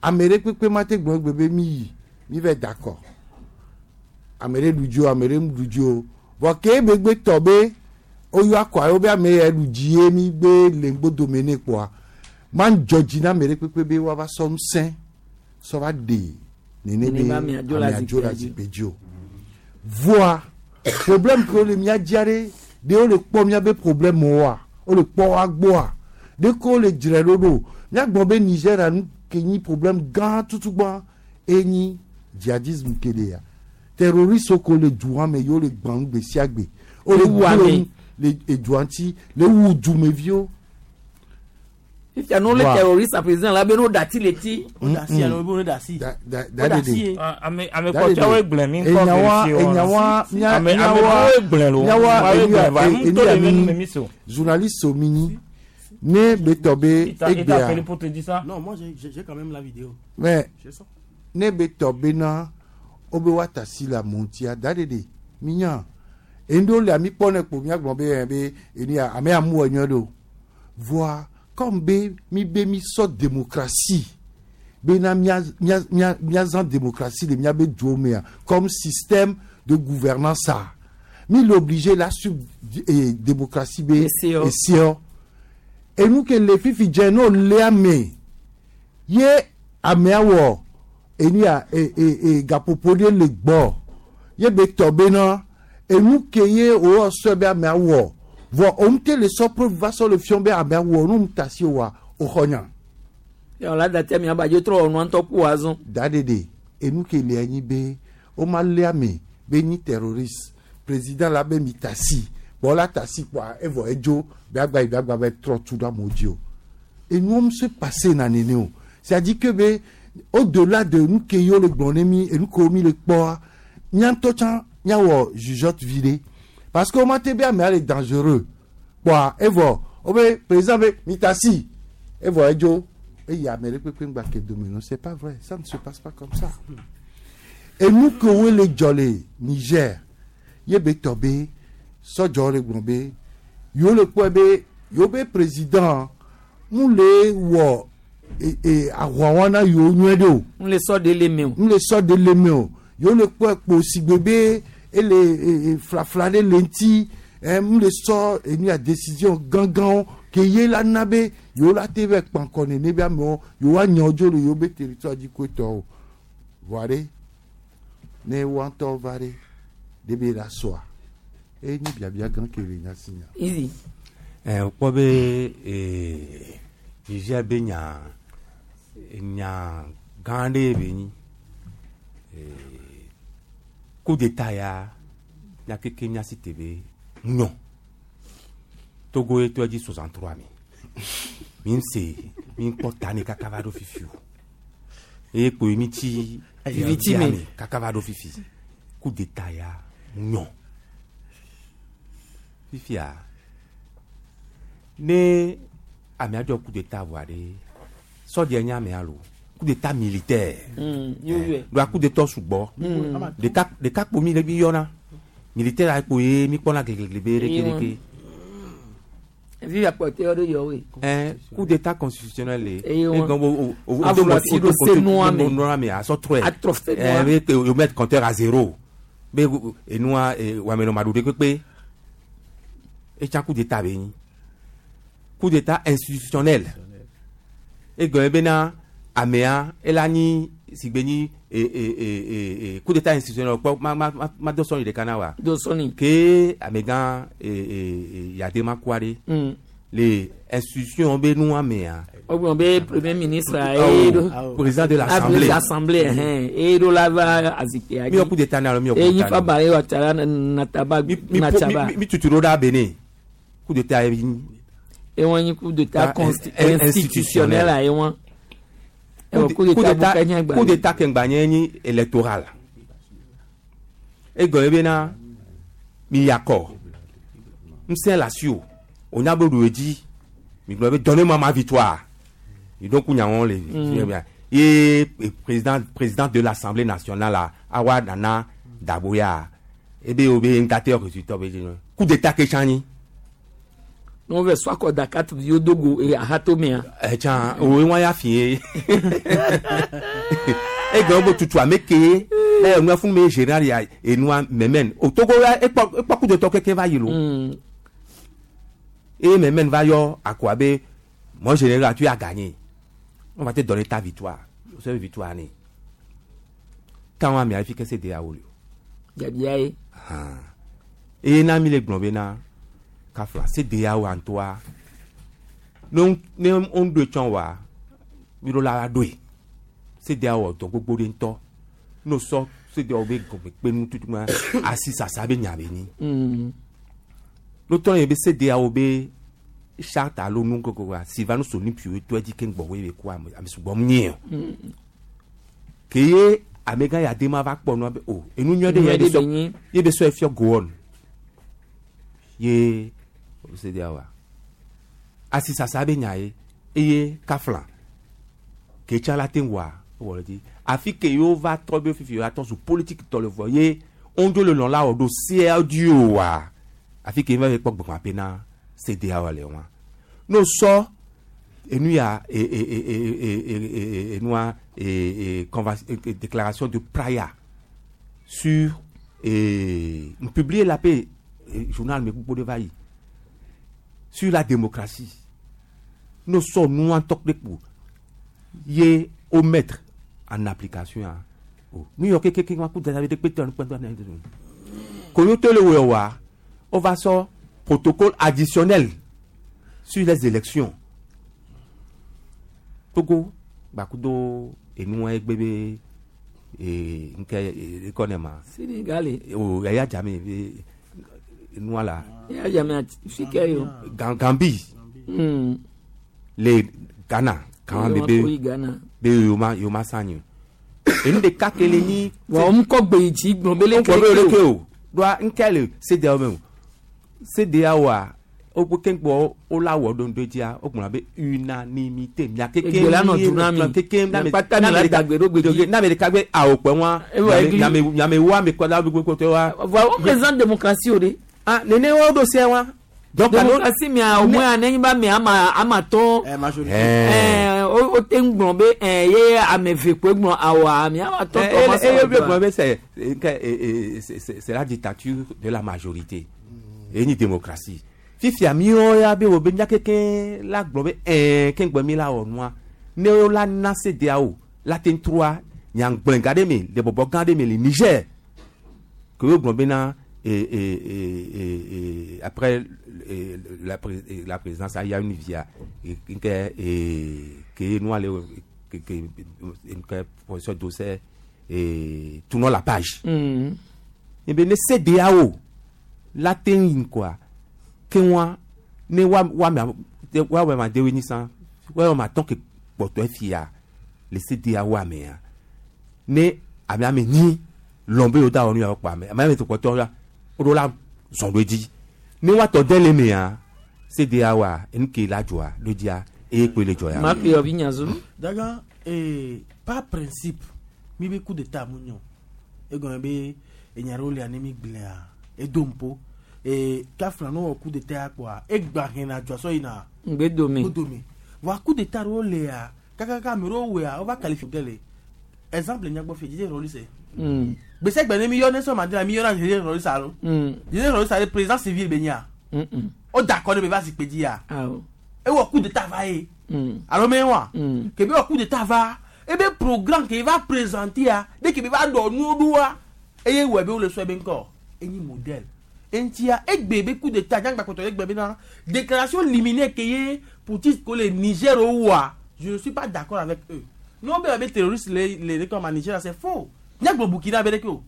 ame ɖe kpekpe ma te gblɔ egbe be mi yi mi va d'accord ame ɖe ɖu dzi o ame ɖe ɖu dzi o vɔ ke emegbe tɔ be woyɔ akɔa yewo be ame ya ɖu dzi ye mi gbe le ŋgbodome ne kpoa ma dzɔ dzi na ame ɖe kpekpe be woava sɔ ŋusẽ sɔ va ɖe nene be Nene be amea dzo le amea dzo le zikpui dzi. zikpui dzi o. Voa problème ke wole mía dzia ɖe ɖe wole kpɔ míabe problème woa wole kpɔ wa gbɔa ɖe ko wole dzre ɖo ɖo míagblɔ be Nigeria nu ke nyi problème gã tutugbã enyi djihadisme ke le ya terroriste ko le dua me yewo le gbã nu gbe sia gbe wole Wu ame. gblẽ nu le edua ŋuti le wu dumeviwo. Fifia no le Wa. terroriste a président la be no dati le ti. O da si alo bo da si. Da da O da si ye. Ah, ame ame Da de kpɔtɔwo de. gblẽ mi ŋkɔ Enyawa vérifier wɔna. enyawa mía Ame ame míawa ɖewoe gblẽ lo. míawa Woawoe enu gblẽ ya va. e- Ŋutɔ enu ya le mi mi mi so. journaliste omi ne be tɔ be Il t'a il t'a egbea appelé pour te dire ça? Non, moi j'ai j'ai quand même la vidéo. mais J'ai ça. ne be tɔ bena wobe woata si le amewo ŋutia da ɖe ɖe minya enu ɖewo le ami kpɔ ne kpo míagblɔ be ɛ be enu ya ame ya mu wɔ nyuie ɖe o. Voa comme be mi be mi sɔ démocratie bena mía mía mía míazã démocratie le míabe duwo mea comme système de gouvernance a mi le obligé la sub eh, démocratie be Eseɔ. eseɔ enu ke le fifi dze n'o lé ame ye amea wɔ enu ya e e e gaƒoƒo ɖe le gbɔ ye be tɔ bena enu ke ye wòwɔ sɔe be amea wɔ vɔ òun te le sɔ preuve va sɔ le fiɔ be amea wɔ nu ta si wa o xɔ nya. Yɔ la dati ami abadzo trɔ ɔnua ŋutɔ ku azɔ. Da ɖeɖe enu ke le anyi be woma lé ame be nyi terroriste président la be mi ta si bɔn la ta si kpoa evɔ edzo be agba yi be agba be trɔ tu ɖe amewo dzi o enuwo se passe na nene o. C'est à dire que be au delà de nu ke yewo le gblɔ ne mi enu kewo mi le kpɔa mía ŋutɔ tsã míawɔ jugeote vi ɖe parce que woma te be amea le dangereux kpoa evɔ wobe président be mi ta si evɔ edzo eye ame ɖe kpekpe ŋgba ke dome. Non, c'est pas vrai, ça ne se passe pas comme ça. Enu kewo le dzɔ le Niger ye be tɔ be sɔdzɔ le gblɔ be yewo le kpɔe be yewo be président mu le wɔ e e ahuawa na yewo nyuie ɖe o. N le sɔ de le me o. N le sɔ de le me o yewo le kpɔe kpo sigbe be ele e e flafla ɖe le ŋuti ɛ mu le sɔ enu ya décision gãgãwo ke ye la na be yewo la te vɛ kpankɔ nene be amewo yewo anya dzo le yewo be territoire dzi koe tɔ o. Voa ɖe ne woa ŋutɔ va ɖe ɖe be la sɔa eye nyi biabia gã ke le nya si nya. Easy. Ɛ wokpɔ be ee Niger be nya nya gã ɖe be nyi ee coup d'état ya nya keke nya si te be nyɔ Togo ye tɔ dzi soixante trois me mi se mi kpɔ ta ne kaka va ɖo fifi o eye kpoe mi tsi Viviti me. Kaka va ɖo fifi coup d'état ya nyɔ fifia ne amea dzɔ coup d'état vɔa ɖe sɔdze nye amea lo coup d'état militaire. Mm, yóyɔe. Ɖoa coup d'état sugbɔ. Mm. Ɖeka ɖeka kpo mi le mi yɔna militaire ya kpo ye mi kpɔna gleglegle be ɖeke ɖeke. Vivi akpɔtɛ yɔ ɖe yɔ woe. Ɛn coup d'état constitutionnel le Eye wɔn. e gɔn bo o o Avɔ asi ɖo se nua me. nua me asɔ trɔe. Atrɔ se nua. Ɛn be ke o mettre compteur à zéro be enua wamenɔ ma ɖu ɖe kpekpe etsa coup d'état be nyi coup d'état institutionnel egɔme bena amea ela nyi sigbe nyi e e e e e coup d'état institutionnel kpɔ ma ma ma ma do sɔnni ɖeka na wa. Do sɔnni. Ke amegã e e e Yadema kua ɖe. Mm. Le institution be nua mea. O gblɔ be premier ministre a ye do. Président de l'assemblée. Assemblée hɛn eye do la va azikpea Mi wɔ coup d'état na alo mi wɔ coup Eyi d'état fa na. ba ye wa tara nataba Mi po natsaba. mi mi tutu ɖo ɖa Benin. Coup d'état ye nyi. Ewɔn nyi coup d'état Ah, consti- in- institutionnel a ewɔn. Ewɔ coup Coup d'état d'état bu kɛ nye coup d'état ke ŋgba nye nyi électoral. Egɔme bena mi yakɔ ŋusẽ le asi o onya be ɖu edzi mi gblɔ be donnez-moi ma victoire mi ɖo ku nyawo le Mm. ye président président de l'assemblée nationale la awa nana Daboya ebe wo be ŋgate résultat be dzi coup d'état ke tsã nyi. N'o vɛ sɔ akɔ da quatre viwo do go e ahato mea. Ɛtsã owo wọn ya fi ye egbe wo tutu ame ke lɛ enua fún mi général ya enua mɛmɛn o Togo ya ekpɔ ekpɔ coup d'état keke va yi lo eye mɛmɛn va yɔ akoa be mon général tu as gagné on va te donner ta victoire o sɛ victoire ni kan wa mi afi kɛse de ya wolo Jabia ye. eye na mi le gblɔ bena kafla CEDEAO antoa ne ne on do tsɔn wa mi ɖo la doe CEDEAO wɔ dɔ gbogbo ɖe ŋutɔ n'o sɔ CEDEAO be gɔme kpe nu tutu ma asi sasa be nya be nyi Mm. n'o tɔ ye be CEDEAO be charte alo nu gogo wa Sylvanus Olympio tɔ edzi keŋ gbɔ wo ye be ko ame ame sugbɔ mu nye o Mm. ke ye amegã ya de ma va kpɔ nua be o enu nyuie ɖe Nyuie ye be ɖe be sɔ nyi. ye be sɔ efiɔ gowon ye CEDEAO wa asi sasa be nya ye eye kafla ke tsa la te ŋua wɔ le dzi afi ke yewo va trɔ be fifi yewo atɔ zu politique tɔ le vɔ ye wondzo le lɔn la wɔ ɖo sea dzi o wa afi ke va kpɔ gbɔgbɔ ape na CEDEAO le wa n'o sɔ enu ya e e e e e e e enua e e convention e déclaration de Praia sur e n publier la pe journal me gbogbo de va yi sur la démocratie n'o sɔ nua tɔ kple kpo ye o mettre en application ah o nu yɔ kekeke wa ku dada bi de kpe tɔ nu kpe tɔ ne koyo to le wɔ wa o va sɔ protocole additionnel sur les élections Togo gbakudo enua egbe be ee nke ekɔ ne ma Sénégal. o eya dzame be enua la Eya dzame fi ke yo. Gan Gambie Mm. le Ghana kàn Yo be ma be ko yi Ghana. be yoma yoma sanyi enu ɖeka ke le nyi. Wa wo ŋkɔ gbe yi dzi gblɔ be leke ŋkɔ be leke o doa ŋkɛ le CEDEAO me o CEDEAO wa wo keŋgbɔ wo la wɔ ɖo ŋdɔ dzia wo gblɔ be unanimité mia keke Egbe la nɔ du na mi. keke Mia kpata mi la dagbe ɖo gbe dzi. n'ame ɖeka gbe awo kpɛ wa Ewa egli. nyame nyame wo ame kɔ la gbogbo tɔ wa. Wa wo président démocratie o de. ah nene wo ɖo se wa. Donc démocratie mia au moins anenyi ba mia ama ama tɔ. Eh. Ɛɛ o o te ŋu gblɔ be ɛɛ ye ame eve koe gblɔ awoa mia ama tɔ tɔ ma Et sɔ le gblɔ be c'est c'est c'est c'est la dictature de la majorité et ni démocratie fifia miwo ya be wo be mia keke la gblɔ be ɛɛ ke ŋgbɛ mi la wɔ nua ne wo la na CEDEAO la te trɔa nyagblẽ gã ɖe me le bɔbɔ gã ɖe me le Niger ke wo gblɔ bena et, et, et, et, et après et, la, pré- et la présidence il y a une via et que et que nous allons que que que professeur Dosseh et tournons la page. Mm. Eh bien, ne CEDEAO la te yin quoi ke wa ne wa wa ma wa wa ma dewe ni san wa wa ma tɔn ke kpɔtɔ fia le CEDEAO ame ya ne ame ame nyi lɔn be yewo da wɔ nu ya kpɔ ame ame ame to kpɔtɔ la o do la zɔn do dzi ne wa tɔ dɛ le mea CEDEAO a enu ke la dzɔa do dzia eye kpe le dzɔ ya. Ma kpe yɔvi nyazu. Dagan, eh, par principe, mi be coup d'état mu nyo. Egɔme be enya ɖewo lia ne mi gblẽa, edo ŋpo. Eh, kafla no wɔ coup d'état ya kpoa, egba hena dzɔa sɔ yina. Ŋgbedome. Ŋgbedome. Vɔa coup d'état ɖewo lia, kakaka ame ɖewo wɔa, wova qualifié de le. Exemple nyagbɔ fi, Didier Rolls. Mm. Gbèsè ne mi yɔ Nelson Mandela, mi yɔna Didier Rolls alo. Mm. Didier Rolls ale président civil be nyia. Mm. Mm. O da akɔ ne be va zikpui dzia. Awɔ. Ewɔ coup d'état va ye. Mm. Alo me wa. Mm. Kebe wɔ coup d'état va, Ebe programme ke va présenter a de ke va dɔ nuwo ɖoa eye wɔ be wole sɔ ebe ŋkɔ enyi modèle eŋutia egbe be coup d'état nyagba kpɔtɔ egbe bena déclaration liminaire ke ye putschistes ko le Niger woa je ne suis pas d'accord avec eux n'o bɛ be terroriste le le le comme à Niger c'est faux nyagblɔ Burkina be ɖeke o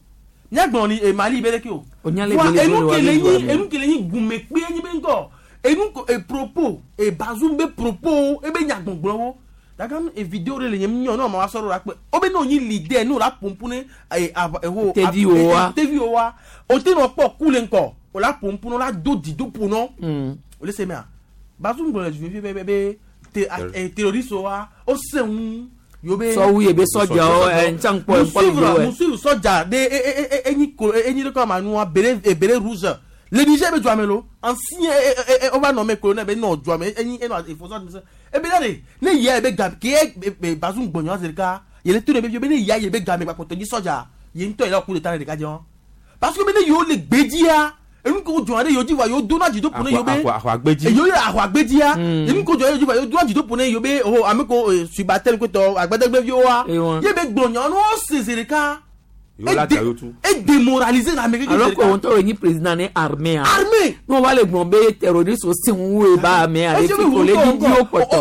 nyagblɔ ni eh, Mali be ɖeke o Onya le Voa, bele enu bele wa ke le be nyi doa me. enu ke le nyi gumekpe nyi be ŋkɔ enu ko e propos e Bazoum be propos ebe nyagbɔgblɔwo daga e vidéo ɖe le nye nyɔ ne ɔmɔ wa sɔrɔ la kpe wo be ne wonyi leader ne wo la pompu ne e ava eho Tevi wo wa. tevi wo wa o te nɔ kpɔ ku le ŋkɔ o la pompu ne o la do dzido ƒo nɔ o le se mea Bazoum gblɔ le dzumevi be be be te a- e terroriste wa o se ŋu yo be Sɔwu ye be sɔdzawo, ɛ, ntsa ŋkpɔ, Mu ŋkpɔ suivre video, ɛ. mu suivre sɔdza de e e e enyi ko enyi de kɔ ma nua béret e béret rouge le Niger be dzuame lo ancien e e e o va nommé colonel be nɔ dzuame enyi enɔ efosɔ mi sɛ ebe da de ne yia ebe game ke ye be Bazoum gbɔnyɔ zi ɖeka yele to de be be ne yia ye be game gbakpɔtɔ dzi sɔdza ye ŋutɔ yi la ku de ta ne ɖeka dze wɔn parce que be ne yewo le gbedzia enu ko dzɔ ɖe yewo dzi vɔa yewo dona dzido ƒo ne yewo be Ahwa- ahwa gbedzi. yewo le ahwa gbedzia enu ko dzɔ ɖe yewo dzi vɔa yewo dona dzido ƒo ne yewo be oh ame ko eh, subatel kotɔ agbadegbeviwoa ye be gblɔnyɔ ne wo se zi ɖeka Yewo la da yewo tu. e démoraliser la ame alors que wɔn tɔ nyi président ne armée a. Armée. n'o b'ale gblɔ be terroriste si ŋu ye ba armée ale fi ko le didi wo kpɔtɔ.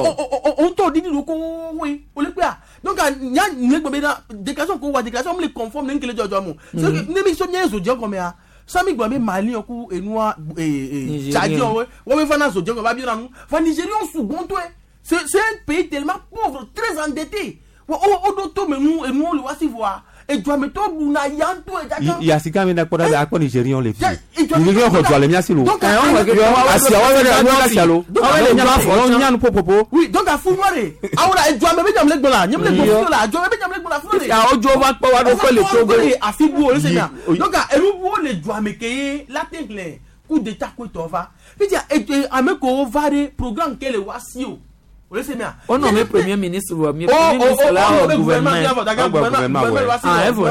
o ŋutɔ didi do ko woe o le kpea donc nya ne gbɔ bena déclaration ko wa déclaration mi le conforme ne nkele dzɔdzɔ mo c'est que ne mi so nye zo dze gɔmea sami gbɔ be mali ku enua ee Nigérien. tchadien wo wo be fana zo dze gɔme ba bi na nu fa nigérian sugbɔntɔe c'est c'est un pays tellement pauvre très endetté wo o o do to me nu enuwo le wa si voa eduametɔ ɖuna yantɔe dada yasika mi na kpɔ ɖa be akpɔ nigerian le fi Nigérian nigerian xɔ dua le mía si lo Donc, asia wa wɛrɛ wa wɛrɛ asia lo nyanu popopo oui donc afu nua de awo la eduame be nyam le gbɔ la nyam le gbɔ fi la eduame be nyam le gbɔ la fi la awo dzo va kpɔ wa ɖo kpe le Togo. afi bu o le se na donc enu bu wo le duame ke ye la te hlẽ coup d'état ko tɔ va fifia edu ame ko va de programme ke le wa si o o le se mea. O nommé premier ministre wa mi Oh, premier oh, ministre oh, la oh, o oh, gouvernement. gouvernement, gouvernement, gouvernement, Ah, evɔ.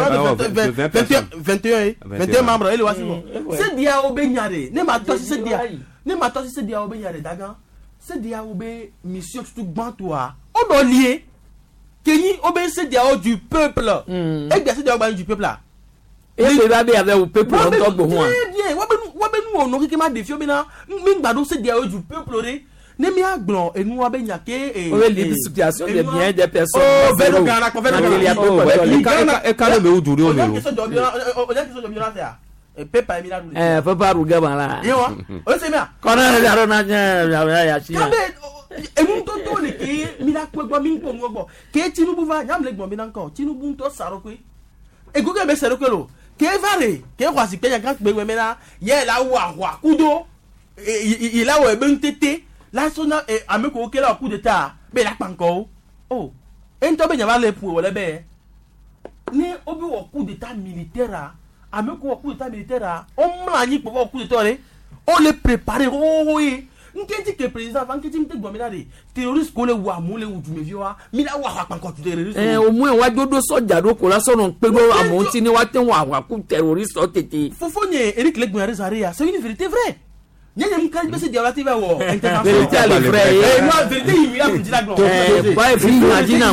vingt et un vingt et un membres ele wa si bɔ Mm, se dia wo be nya de ne ma tɔ si se dia ne ma tɔ si se dia wo be nya de dagan se dia wo be mission tutu gbãtɔa o dɔ lie kenyi wo be se dia wo du peuple egbe se dia wo gba du peuple a. E pe ba be avec o peuple ŋutɔ gbɔ hɔn. Très bien wo be nu wo be nu wɔ nɔ keke ma ɖe fio bena mi gba ɖo se dia wo du peuple de ne mia gblɔ enua be nya ke. O be libre situation des biens des personnes. Oh, vɛ ɖo gana kpɔ vɛ ɖo gana. Oh, eka ɖe mewu du ɖe wo me lo Eh, papa ruga ba la. Yewa, o se mea. Kɔnɔ yɛrɛ ɖo na nye ya ya si. Kabe enu toto le ke mi la kpɔ gbɔ mi kpɔ nu gbɔ ke Tinubu va nyam le gbɔn mi na ŋkɔ Tinubu ŋutɔ sa ɖokui ego ke be sa ɖokui lo ke va le ke xɔ asi kpe nya kpe gbɛ mena yɛ la wɔ ahua kudo yi la wɔ ebe ŋutete la so na ame ko ke la wɔ coup d'état be la kpa ŋkɔ o o eŋutɔ be nya va le ƒo wòle be ne wo be wɔ coup d'état militaire a ame ko wɔ coup d'état militaire a wo mlɔ anyi kpɔ wɔ coup d'état ɖe wo le préparer xoxoxo ye nketi ke président va nketi ŋute gbɔn mi la de terroriste ko le wu amewo le wu dumeviwoa mi la wɔ ahakpankɔ tu terroriste. Eh, au moins wa dodo sɔdza ɖo ko la sɔnɔ kpe ɖo amewo ŋuti ne woate ŋu aʋa terroriste tete. fofo nye Eric le gbɔn ɖe ya c'est une vérité vraie nye nye ŋka bɛ se diawla ti bɛ wɔ intervention. Vérité ale vrai ye. Eh, moi vérité yi mi ya kun ti la gbɔn. Eh, ba ye fi ɲa na.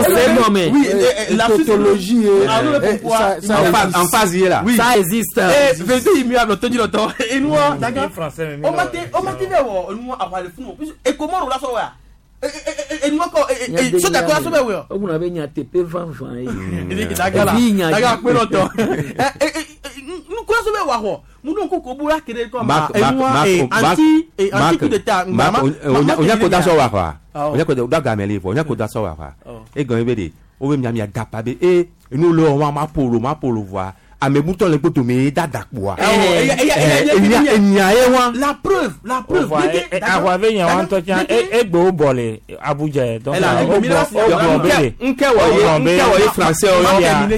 C'est non mais. Oui, eh, eh, la tautologie ye, Ah, non, mais eh, pourquoi ça- ça En phase- existe. en phase ye la. Oui. Ça existe. Eh, vérité yi mi ya lɔ tɔdzi lɔtɔ enua daga français, mais o ma te o ma te bɛ wɔ enua aʋa le funu puisque ekomɔro la sɔ wa enua kɔ sɔdza kɔ la sɔ bɛ wɔ. O kunna bɛ ɲa tepe fanfan ye. daga la Evi ɲa daga kpe lɔtɔ nukura sɔ bɛ wɔ xɔ munu ko ko bora kere kɔ ma Marc Marc enua Marc anti Marc anti coup d'état Marc onya ko da sɔ wa xɔa Awɔ. onya ko da da game le fɔ onya ko da sɔ wa xɔa e gɔn be de wo be mia mia dapa be e enu le wa ma polo ma polo voa ame butɔ le kpoto me da da kpoa enya enya ye wa la preuve la preuve ahwa ve nya wa ŋutɔ tsã e egbe wo bɔ le Abuja yɛ donc Ela, wo egbe mi bɔ la si- wo bɔ be de nke wɔ ye nke wɔ ye français yɔ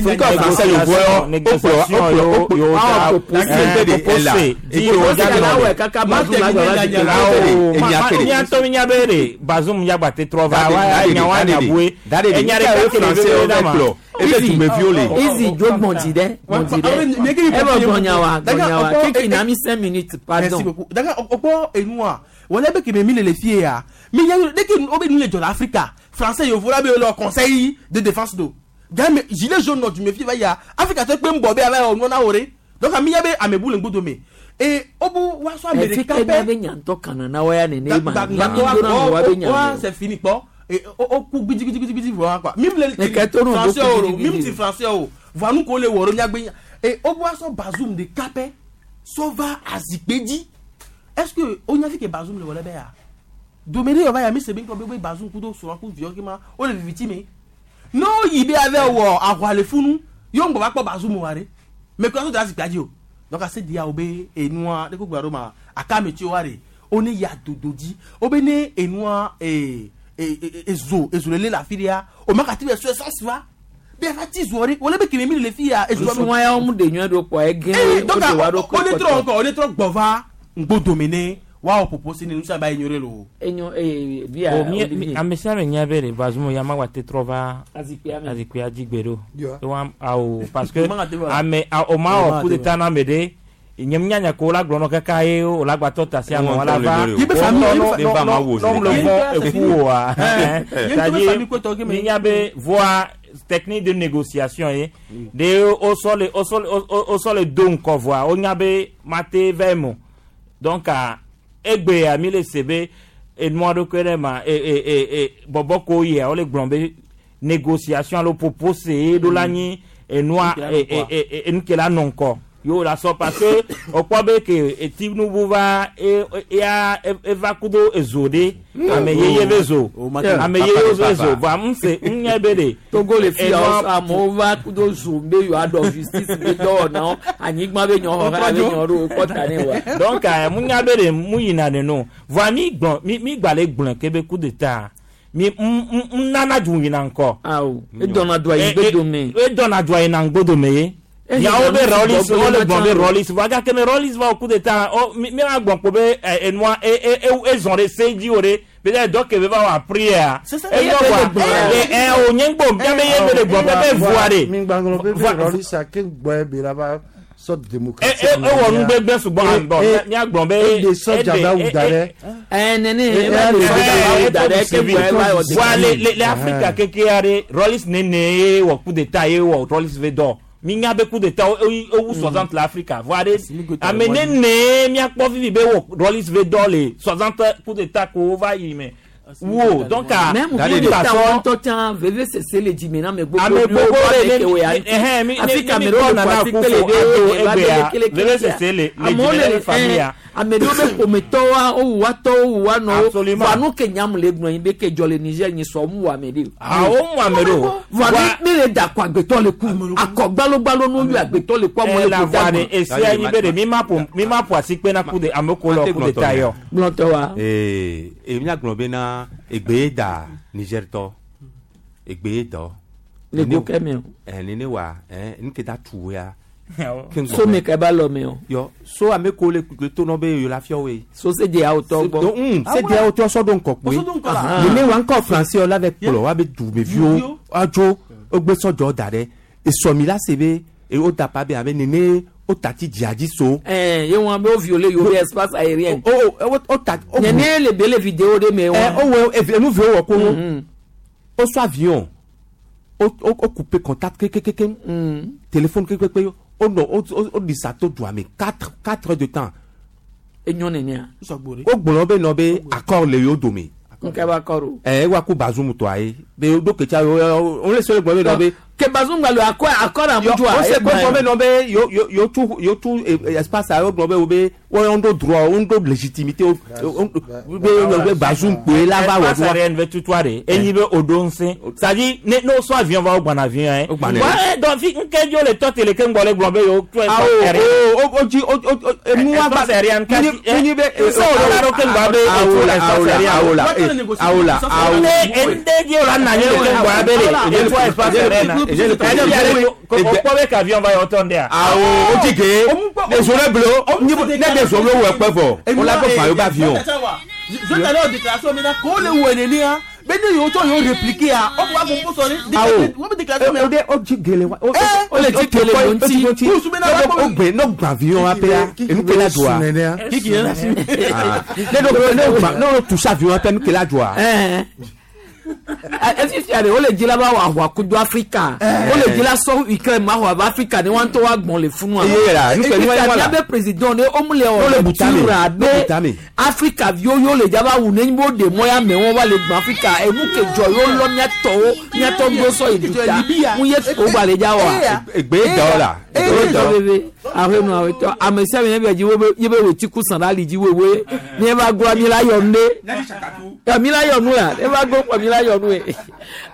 nke wɔ français yovo yɔ o kplɔ o kplɔ o kplɔ o propose di wo da nɔ kaka Bazoum la gbɔ la di awo miatɔ mi nya be de Bazoum ya gba te trɔ va wa nya wa nya bue enya ɖe ka kele be be da ma ebe dumeviwo le Easy jo gbɔn dɛ gbɔn di dɛ e bɛ gbɔn wa gbɔn wa kiki na mi cinq minutes Merci pardon. beaucoup. Daga okpɔ enua wọlé bɛ kɛmɛ mi le le fie ya mi nya deke o bɛ nu le jɔ la Afrika français yovo la be le conseil de défense do game gilet jaune nɔ dume fi va ya afrika tɔ kpe ŋbɔ be ava yɔ nua na wo re donc ami ya be amebu le ŋgbodo me e obu wa sɔ Efi amerika ke pɛ miabe nyantɔ kana na wa ya nene ma. gba Mi dona mo wa be wa nya. c'est fini kpɔ e o o ku gbidigbidigbidi vɔ quoi mim le Ne kɛ to no do français o gidigidi. mim ti français o voa nu ko le wɔ ɖo miagbe nya e obu wa sɔ Bazoum de kapɛ sɔ va azikpe dzi est ce que o nya fi ke Bazoum le wɔ ɖe bɛ ya domere yɔ va ya mi se be ŋkɔ be be Bazoum kudo srɔ̃ ku viɔ ke ma o le viviti me n'o yi be avɛ wɔ ahwa le funu yo ŋgbɔ va kpɔ Bazoum wa ɖe mɛ kura so de azikpea dzi o donc ase dia o be enua de ko gba ɖo ma aka me tsi wa ɖe o ne ya dodo dzi o be ne enua ee e ezo ezo le le la fi ɖea o ma ka ti be sɔ essence va be ava ti zoɔ ɖe wòle be keme mi le fi ya ezo Nusua ya wo mu de nyuie ɖo kpɔ ege ee wo donc de wa ɖo o ne trɔ ŋkɔ o ne trɔ gbɔ va ŋgbodome ne wa wɔ popo si ne nusia ba yi nyore lo. Enyo ee via Bon, mi- mi- Olivier. ame sia ame nya be le Bazoum ya ma wa te trɔ va Azikpea me. azikpea dzi gbe ɖo. Yo. Ewa awo parce que O ma ka te va. ame a- o ma O ma wɔ coup te d'état na ame ɖe nye mi nyanya ko la gblɔ nɔ kaka ye o la gba tɔ ta si ame wala va. Ye be famille, ye be fa- no no le vɔ eku oa. Ye ŋutɔ be C'est-à-dire famille kotɔ ke me. mi nya be voa technique de négociation ye de o sɔ le o sɔ le o- o sɔ le do ŋkɔ voa o nya be ma te vɛ mo donc a egbea mi le se be enua ɖokui ɖe ma e e e e bɔbɔ ko yia wole gblɔ be négociation alo propose ye ɖo la nyi enua e e e e enu ke la nɔ ŋkɔ yo la sɔ parce que o kpɔ be ke etinubu va e e ya eva kudo ezo ɖe ame yeye be zo ame yeye be zo voa n se n nya be de Togo le fi enua- awo amewo va kudo zoom be yewoa ɖɔ justice be dɔwɔnawo anyigba be nyɔ xɔ be nyɔ ɖo wokpɔ ta ne wa. donc eh, mu nya be de mu yina de no voa mi gblɔ mi mi gba le gblɔ ke be coup d'état mi n n n nana du yina ŋkɔ. Awo edɔna do ayi gbe dome. edɔna do ayi na ŋgbo dome ye. Eh, Nyawo be nu si Rawlings gbɔgblɔ wole ma gblɔ be tsã. Rawlings voa gake ne Rawlings va wɔ coup d'état ɔ mi mi la gblɔ kpo be ɛ enua e e e ezɔn ɖe se dzi o ɖe be ɖe dɔ ke be va wɔ apri ya. Eyɔ voa ɛ ɛ o nye ŋgbo miabe ye be le gblɔ be be voa de. Mi gbaŋlɔ be be Rawlings ke gbɔe be la va sɔ démocratie. E- e- ewɔ nu gbegblẽ sugbɔ hã bɔn mía gblɔ be E de sɔdza ba wu da ɖe. Ɛ nene E- eva e- de e- sɔdza ba wu da ɖe ke gbɔe va wɔ Voa le le le Afrika keke aɖe Rawlings nene ye wɔ coup d'état ye wɔ Rawlings ve dɔ mi nya be coup d'état wo ewu soixante le Afrika voa ɖe ame nene miakpɔ vivi be wɔ Rawlings ve dɔ le soixante coup d'état ko va yi me wo donc a Même coup d'état ŋutɔ tsã veve sese le dzime na ame gbogbo ame gbogbo ɖewo ɖe ke wo ya ɛhɛn mi Afi mi ka mi ame ɖewo kpɔ le nana ƒo asi akufo kple ado ɖewo eva egbea kelekele veve sese le le amewo dzime le na famille ya. ame ɖewo be ƒometɔwoa wowu wa tɔwo wu wa nɔwo Absolument. voa nu ke nyam le gblɔ nyi be ke dzɔ le Niger nyi sɔ mu wɔ ame ɖe o. Ah, wo mu ame ɖe o. voa mi mi le da kɔ agbetɔ le ku akɔ gbalogbalo no yɔ agbetɔ le ku amewo Eh, le la ku voix da de esi anyi be de mi ma ƒo mi ma ƒo asi kpe na coup de ame ko le coup d'état yɔ. Gblɔtɔ wa. Ee, e míagblɔ bena egbe ye da Niger tɔ egbe ye dɔ. Le go ke me o. Ɛ nene wa ɛ nu ke da tu wo ya. Ke ŋgbɔ So me. me ke ba lɔ me o. Yɔ so ame ko le le to nɔ be yewo la fiɔ woe. So se de awo tɔ gbɔ. Un se de awo tɔ sɔ ɖo ŋkɔ kpoe. Sɔ ɖo ŋkɔ la. Nene wa ŋkɔ français la vɛ kplɔ wa be dumeviwo adzo wogbe sɔdzɔ da ɖe esɔmi la se be e wo da pa be abe nene wo tati dzia dzi so. Ɛɛ ye wɔn be wo violer yewo be espace aérien. O o o ta. Nene le be le vidéo de me Ɛ wɔn. o wɔ evi enu vi wo wɔ ko o sɔ avion o o o couper contact kekekeke téléphone kekeke o nɔ o o o disa to dua me quatre quatre heures de temps. Enyo nenea. O gblɔ be nɔ be accord le yewo dome. Nke ba kɔ do. Ɛ ewa ko Bazoum tɔa ye be o do ketsa o o le se le gblɔ be nɔ be. Ke Bazoum gba le akɔ akɔ na Yɔ ŋutsua. o se ko gblɔ be nɔ be yo yo yo tu yo tu espace a yo gblɔ be wo be wo yon do droit wo do légitimité o o be be Bazoum kpoe la va wɔ Espace aérien ve tutua de enyi be o do ŋusẽ c'est-à-dire ne n'o sɔ avion va o gbana avion yɛ. gbana. Wa donc fi nke dzo le tɔ tele ke ŋgbɔ le gblɔ be yewo tu Awo o o o dzi o o o enu wa Espace aérien kasi munyi be nsɛ o la ɖo ke ŋgbɔ be awo la awo la awo la awo la awo. Ne ende dzi o la na nye ke ŋgbɔ be le etu espace aérien na o kpɔ be k'avion va yɔ tɔ ndea. Awo o dzi ge ezo le blo ne de zo le wɔ kpe vɔ o la gbɔ fa yio be avion. Je t'allais en déclaration maintenant ko le wɔ nenea be ne yewo tsɔ yewo répliquer a o wa gbogbo sɔ ne Awo wo be déclaration o de o dzi gele wa o O le dzi gele lo ŋuti. o gbe ne o gba avion wa pe ya enu ke la doa. Kiki yɛn la si. Ne do ne o gba ne o touche avion wa pe enu ke la doa. Ɛɛ. Efifia de wole dzi la ba wɔ ahua kudo Afrika. Wole dzi la sɔ Ukraine ma ahua va Afrika ne wɔn ŋutɔ wa gbɔn le funua. Eye la, nu ke nu Efifia wa la. miabe président ne wo mu le Wole wɔ butame, tura wole be butame. Afrika viwo yo le dzaba wu ne wo de mɔ ya me wɔn va le gbɔn Afrika enu ke dzɔ yo lɔ miatɔwo miatɔ gbɔ sɔ yi duta mu ye o gba le dza wa. Egbe dɔ la. Egbe dɔ bebe ahenu awetɔ ame sia ame bɛ dzi wo be ye be wòtsi ku sàn ɖe ali dzi wewe mi va goa mi la yɔ nu ɖe mi la yɔ nu la e va go kpɔ mi la yɔ nu ye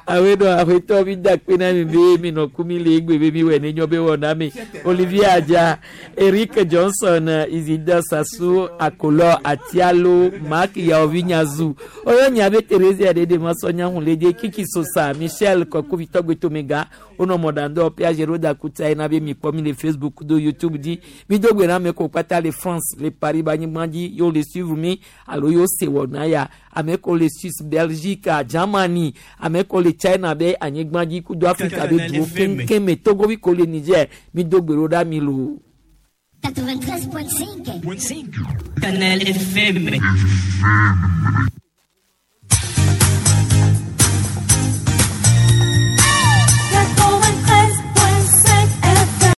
awetɔ awetɔ mi da kpe na mi be mi nɔ ku mi le egbe be mi wɔ ne nyɔ be wɔ na mi Olivier Adja Eric Johnson Isidore Sassou Akolɔ Atialo Mark Yaovi Nyazu oyɔ nya be Thérésia Dede Masɔnya Hunlede Kiki Sosa Michel Kɔkuvi Tɔgbetomega wonɔ mɔɖaŋdɔ Piagero Dakuta yina be mi kpɔ mi le Facebook do YouTube dzi mi do gbe na ame ko kpata le France le Paris ba anyigba dzi yewo le suivre mi alo yewo se wɔna ya ame ko le Suisse Belgique Germany ame ko le China be anyigba dzi kudo Afrika be duwo keŋkeŋ me Togo bi ko le Niger mi do gbe ɖo ɖa mi loo. quatre-vingt-treize point cinq. Canal F M.